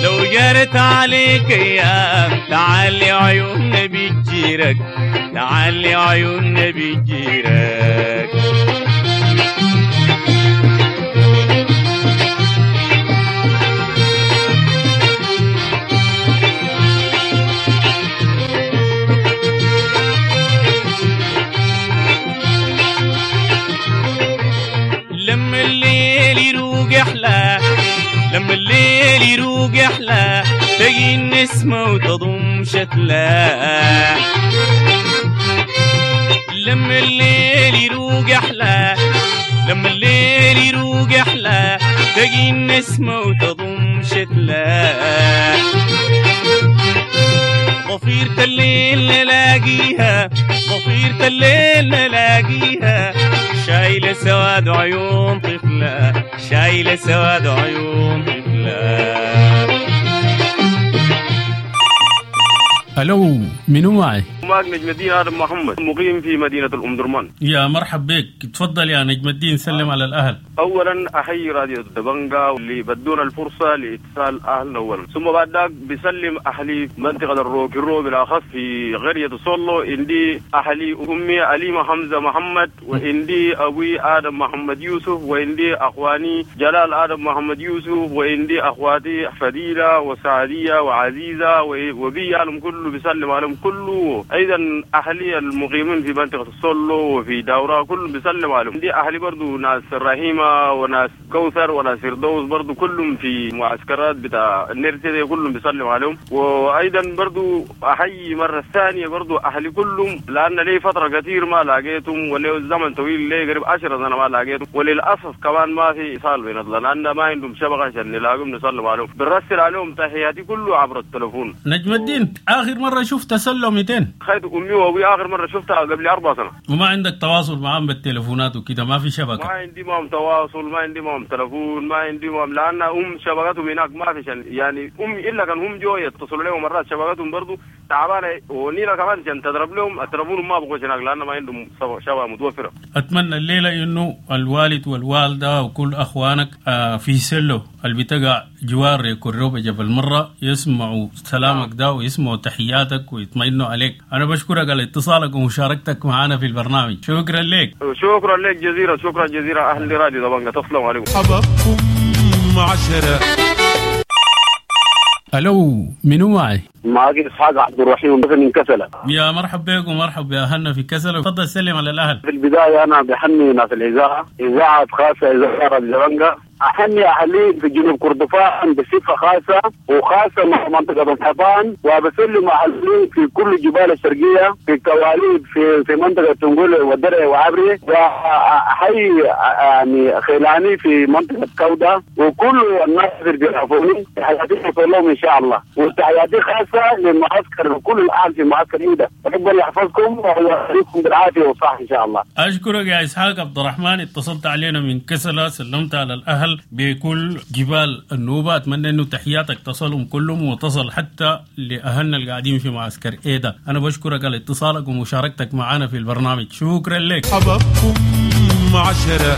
لو جرت عليك ايام تعالي عيوننا بتجيرك، تعالي عيوننا بتجيرك. لما الليل يروق احلى، لما الليل يروق احلى، تجي النسمة وتضم شتلة. لما الليل يروق احلى، لما الليل يروق احلى، تجي النسمة وتضم شتلة. ضفيرة الليل نلاقيها، ضفيرة الليل نلاقيها، شايلة سواد عيون طفلة، شايلة سواد عيون طفلة. ألو، منو معي؟ معك نجم الدين آدم محمد، مقيم في مدينة الأم درمان. يا مرحب بك، تفضل يا نجم الدين، سلم على الأهل. أولا أحيي راديو دبنجة اللي بدونا الفرصة لاتصال أهلنا أولا، ثم بعد ذاك بسلم أهلي منطقة الروكيرو بالأخص في قرية سولو. عندي أهلي أمي أليمة حمزة محمد، وعندي أبوي آدم محمد يوسف، وعندي أخواني جلال آدم محمد يوسف، وعندي أخواتي فديلة وسعدية وعزيزة وبي أهلهم كله بيسلم عليهم كله. ايضا اهلي المقيمين في منطقه السولو وفي دورة كلهم بيسلم عليهم. دي اهلي برضو ناس الرحيمه وناس كوثر وناس فردوس برضو كلهم في معسكرات بتاع النرسي كلهم بيسلم عليهم. وايضا برضو احيي مره ثانيه برضو اهلي كلهم، لان لي فتره كثير ما لاقيتهم، ولي زمن طويل لي قريب عشرة سنه ما لاقيتهم، وللاسف كمان ما في اتصال بيننا لان ما عندهم شبكه عشان نلاقيهم نسلم عليهم. بنرسل عليهم تحياتي كله عبر التليفون. نجم الدين، اخر مره شفت سلو مئتين؟ خيت امي وابوي اخر مره شفتها قبل اربع سنه. وما عندك تواصل معهم بالتليفونات وكده؟ ما في شبكه؟ ما عندي معهم تواصل، ما عندي معهم تليفون، ما عندي معهم، لان ام شبكتهم هناك ما في شن يعني امي الا كان هم جو يتصلوا لهم مرات شبكتهم برضو تعبانه، ونينا كمان عشان تضرب لهم التليفون ما بقوش هناك لان ما عندهم شبكه متوفره. اتمنى الليله انه الوالد والوالده وكل اخوانك في سلو اللي بتقع جوار كروبة جبل مرة يسمعوا سلامك ده ويسمعوا تحياتك ويطمئنوا عليك. أنا بشكرك على اتصالك ومشاركتك معنا في البرنامج، شكرا لك. شكرا لك جزيرة، شكرا جزيرة أهل راديو دبنجة، تسلم عليكم. حبابكم عشرة. ألو، منو معي؟ معاك إسحاق عبد الرحيم من كسلة. يا مرحب بكم ومرحب بأهلنا في كسلة، تفضل سلم على الأهل. في البداية أنا بحني ناس الإذاعة، إذاعة خاصة إذاعة راديو دبنجة احني اهلي في جنوب كردفان بصفه خاصه، وخاصه مع منطقه الحيطان، وبسلم اهلي في كل الجبال الشرقيه في كواليب في في منطقه تنقول والدرع وعبري، واحيي يعني خلاني في منطقه كوده، وكل الناس اللي بيعرفوني تحياتي توصل لهم ان شاء الله، وتحياتي خاصه للمعسكر وكل الاهل في معسكر ايده. ربنا يحفظكم ويعطيكم بالعافيه والصحه ان شاء الله. اشكرك يا اسحاق عبد الرحمن، اتصلت علينا من كسلة، سلمت على الاهل بكل جبال النوبه، اتمنى انه تحياتك تصلهم كلهم وتصل حتى لاهلنا اللي قاعدين في معسكر ايدا. انا بشكرك على اتصالك ومشاركتك معنا في البرنامج، شكرا لك. حبابكم عشرة.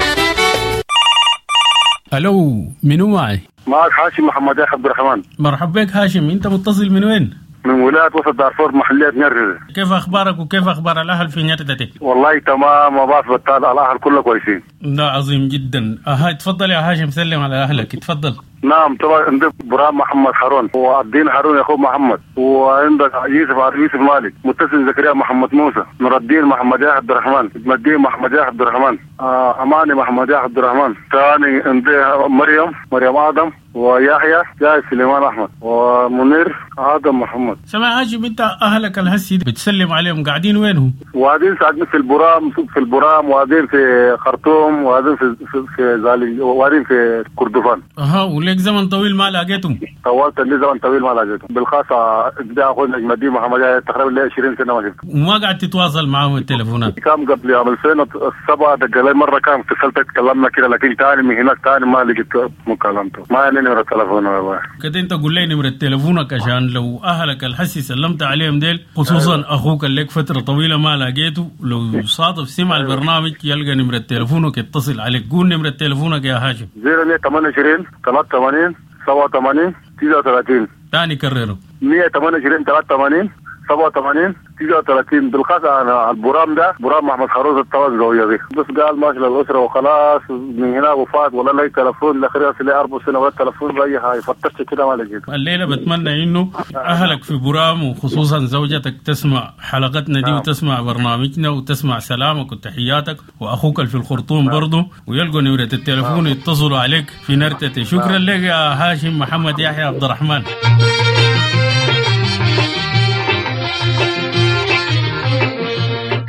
الو، منو معي؟ معك هاشم محمد عبد الرحمن. مرحبا بك هاشم، انت متصل من وين؟ من ولاية وسط دارفور محلية نيرتتي. كيف أخبارك وكيف أخبار الأهل في نيرتتي؟ والله تمام، وباس بطال، الأهل كله كويسين. ده عظيم جدا. أها تفضل يا هاشم، سلم على أهلك، تفضل. نعم طبعا عندك برام محمد هارون، والدين هارون يعقوب محمد، وعندك يوسف يوسف مالك، متصل زكريا محمد موسى، نور الدين محمد عبد الرحمن، مدين محمد عبد الرحمن، آه اماني محمد عبد الرحمن، ثاني عندي مريم مريم ادم، ويحيى جاي سليمان احمد، ومنير ادم محمد. سمع هاشم، انت اهلك الهسي بتسلم عليهم قاعدين وينهم؟ وقاعدين ساكنين في البرام، في البرام، وقاعدين في خرطوم، وقاعدين في في, في زالي، وقاعدين في كردفان. اها، وليك زمن طويل ما لاقيتهم؟ طولت لي زمن طويل ما لاقيتهم، بالخاصه ده اخونا نجم الدين محمد تقريبا لي عشرين سنه ما شفته. وما قاعد تتواصل معهم التليفونات؟ كان قبل عام ألفين وسبعة دق لي مره، كان اتصلت تكلمنا كده، لكن ثاني من هناك ثاني ما لقيت مكالمته، ما عندي نمره تليفون والله. كده انت قول لي نمره تليفونك عشان لو اهلك الحسي سلمت عليهم ديل، خصوصا أيوة. اخوك اللي لك فتره طويله ما لاقيته، لو صادف سمع أيوة. البرنامج يلقى نمره تليفونك يتصل عليك. قول نمره تليفونك يا هاشم. صفر ثمانية وعشرين ثلاثة وثمانين سبعة وثمانين تسعة وثلاثين. ثاني كرره. مية وثمانية وعشرين ثلاثة وثمانين سبعة وثمانين تسعة وثلاثين. بالخاصة أنا البرام ده برام محمد خروز الطواز زوجة دي، بس قال ماشي للأسرة وخلاص من هنا وفات، ولا لي تلفون لخريص لي أربع سنة ولا تلفون بأي حاجة، فتشت كده ما لقيت. الليلة بتمنى إنه أهلك في برام وخصوصا زوجتك تسمع حلقتنا دي وتسمع برنامجنا وتسمع سلامك وتحياتك، وأخوك في الخرطوم برضه، ويلقوا نمرة التلفون يتصلوا عليك في نرتتي. شكرا لك يا هاشم محمد يحيى عبد الرحمن.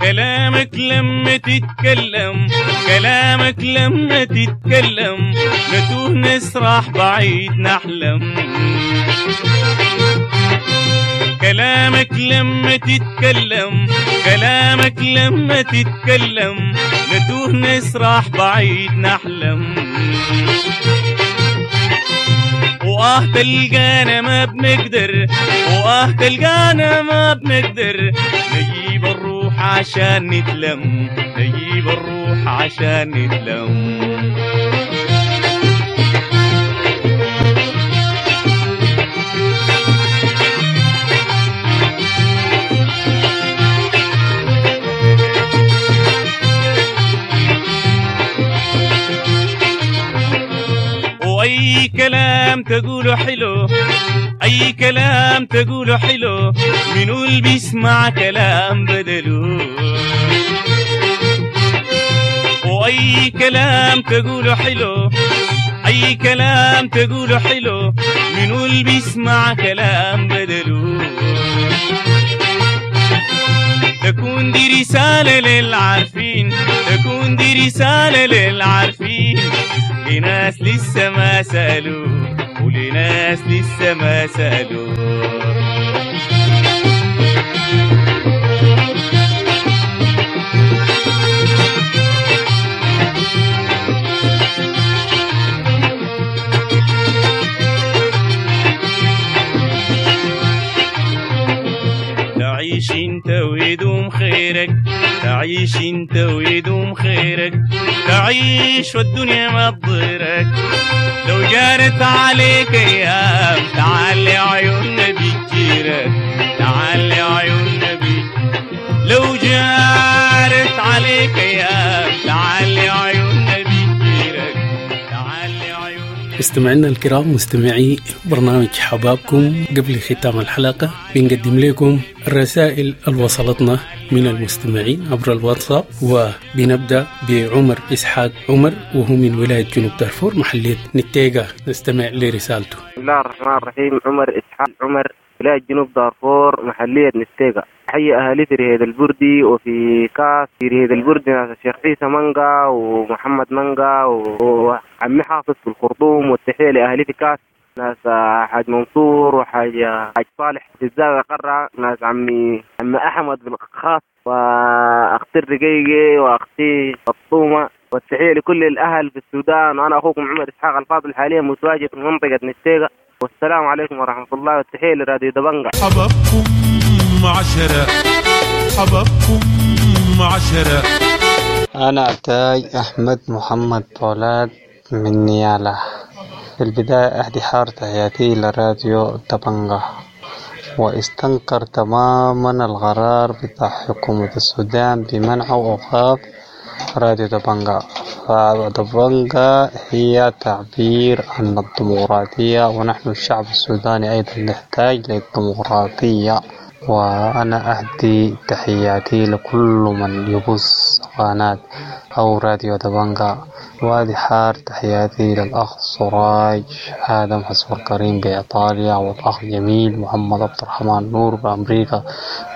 كلامك لما تتكلم، كلامك لما تتكلم، نتوه نسرح بعيد نحلم. كلامك لما تتكلم، كلامك لما تتكلم، نتوه نسرح بعيد نحلم. وآه تلقانا ما بنقدر، وآه تلقانا ما بنقدر، نجيب الروح عشان نتلم، نجيب الروح عشان نتلم. وأي كلام تقوله حلو، أي كلام تقوله حلو، منو اللي بيسمع كلام بدلو؟ وأي كلام تقوله حلو، أي كلام تقوله حلو، منو اللي بيسمع كلام بدلو؟ تكون دي رسالة للعارفين، تكون دي رسالة للعارفين، لناس لسه ما سألوا، ولناس لسه ما سألوا. تعيش انت ويدوم خيرك، تعيش انت ويدوم خيرك، تعيش والدنيا ما تضيرك. لو جارت عليك ايام تعال عيوننا بتجيرك، تعال عيوننا بي. لو جارت عليك ايام تعال عيوننا بتجيرك، تعال عيوننا. مستمعينا الكرام، مستمعي برنامج حبابكم، قبل ختام الحلقة بنقدم لكم الرسائل اللي وصلتنا من المستمعين عبر الواتساب، وبنبدأ بعمر إسحاق عمر وهو من ولاية جنوب دارفور محلية نتيجة. نستمع لرسالته. بسم الله الرحمن الرحيم. عمر إسحاق عمر، ولاية جنوب دارفور محلية نتيجة. حي أهالي في رهيد البردي وفي كاس في رهيد البردي ناس الشيخ عيسى منقا ومحمد منقا وعمي حافظ في الخرطوم، والتحية لأهالي في كاس ناس حاج منصور وحاج حاج صالح في الزاوية قرة، ناس عمي عمي أحمد بالخاص وأختي الرقيقي وأختي فطومة، والتحية لكل الأهل في السودان. وأنا أخوكم عمر إسحاق الفاضل، حاليا متواجد في منطقة نتيجة. والسلام عليكم ورحمة الله، والتحية لراديو دبنجة. حبابكم عشرة، حبابكم عشرة. أنا تاج أحمد محمد طولاد من نيالا. في البداية أهدي حار تحياتي لراديو دبنجة، واستنكر تماما القرار بتاع حكومة السودان بمنع وإيقاف راديو دبنجة. فدبنجة هي تعبير عن الديمقراطية، ونحن الشعب السوداني أيضا نحتاج للديمقراطية. وأنا أهدي تحياتي لكل من يبث قناة أو راديو دبنجة، وأهدي حار تحياتي للأخ سراج آدم حسب الكريم بإيطاليا، والأخ جميل محمد عبد الرحمن نور بأمريكا،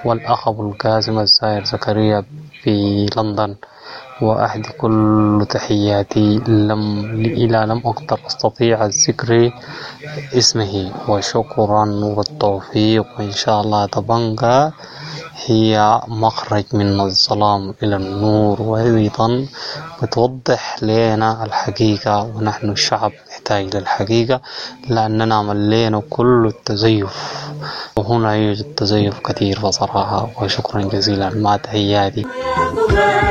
والأخ أبو القاسم الزاير زكريا بلندن. وأهدي كل تحياتي لم إلى لم أقدر أستطيع الذكر اسمه، وشكرا والتوفيق. وإن شاء الله دبنجة هي مخرج من الظلام إلى النور، وأيضا بتوضح لنا الحقيقة، ونحن الشعب نحتاج للحقيقة لأننا ملينا كل التزيف، وهنا يوجد تزيف كثير بصراحة. وشكرا جزيلا، مع تحياتي.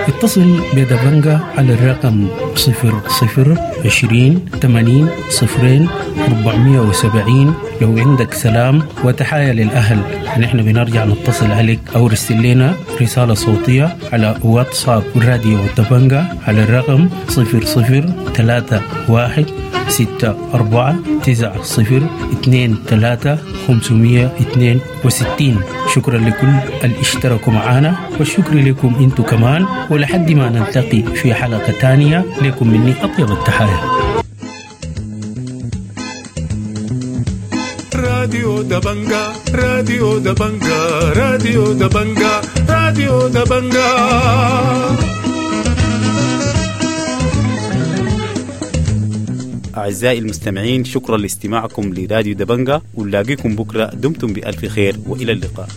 اتصل بدبنجة على الرقم صفر صفر عشرين ثمانين صفرين أربعمية وسبعين لو عندك سلام وتحايا للأهل. نحن بنرجع نتصل عليك أو رسل لنا رسالة صوتية على واتساب راديو دبنجة على الرقم صفر صفر ثلاثة واحد ستة أربعة تسعة صفر اثنين ثلاثة خمسمية اثنين وستين. شكرا لكل اللي اشتركوا معنا، والشكر لكم انتو كمان، ولحد ما نلتقي في حلقة تانية لكم مني أطيب التحايا. راديو دبنجة، راديو دبنجة، راديو دبنجة، راديو دبنجة. أعزائي المستمعين، شكرا لاستماعكم لراديو دبنجة، ونلاقيكم بكرة. دمتم بألف خير وإلى اللقاء.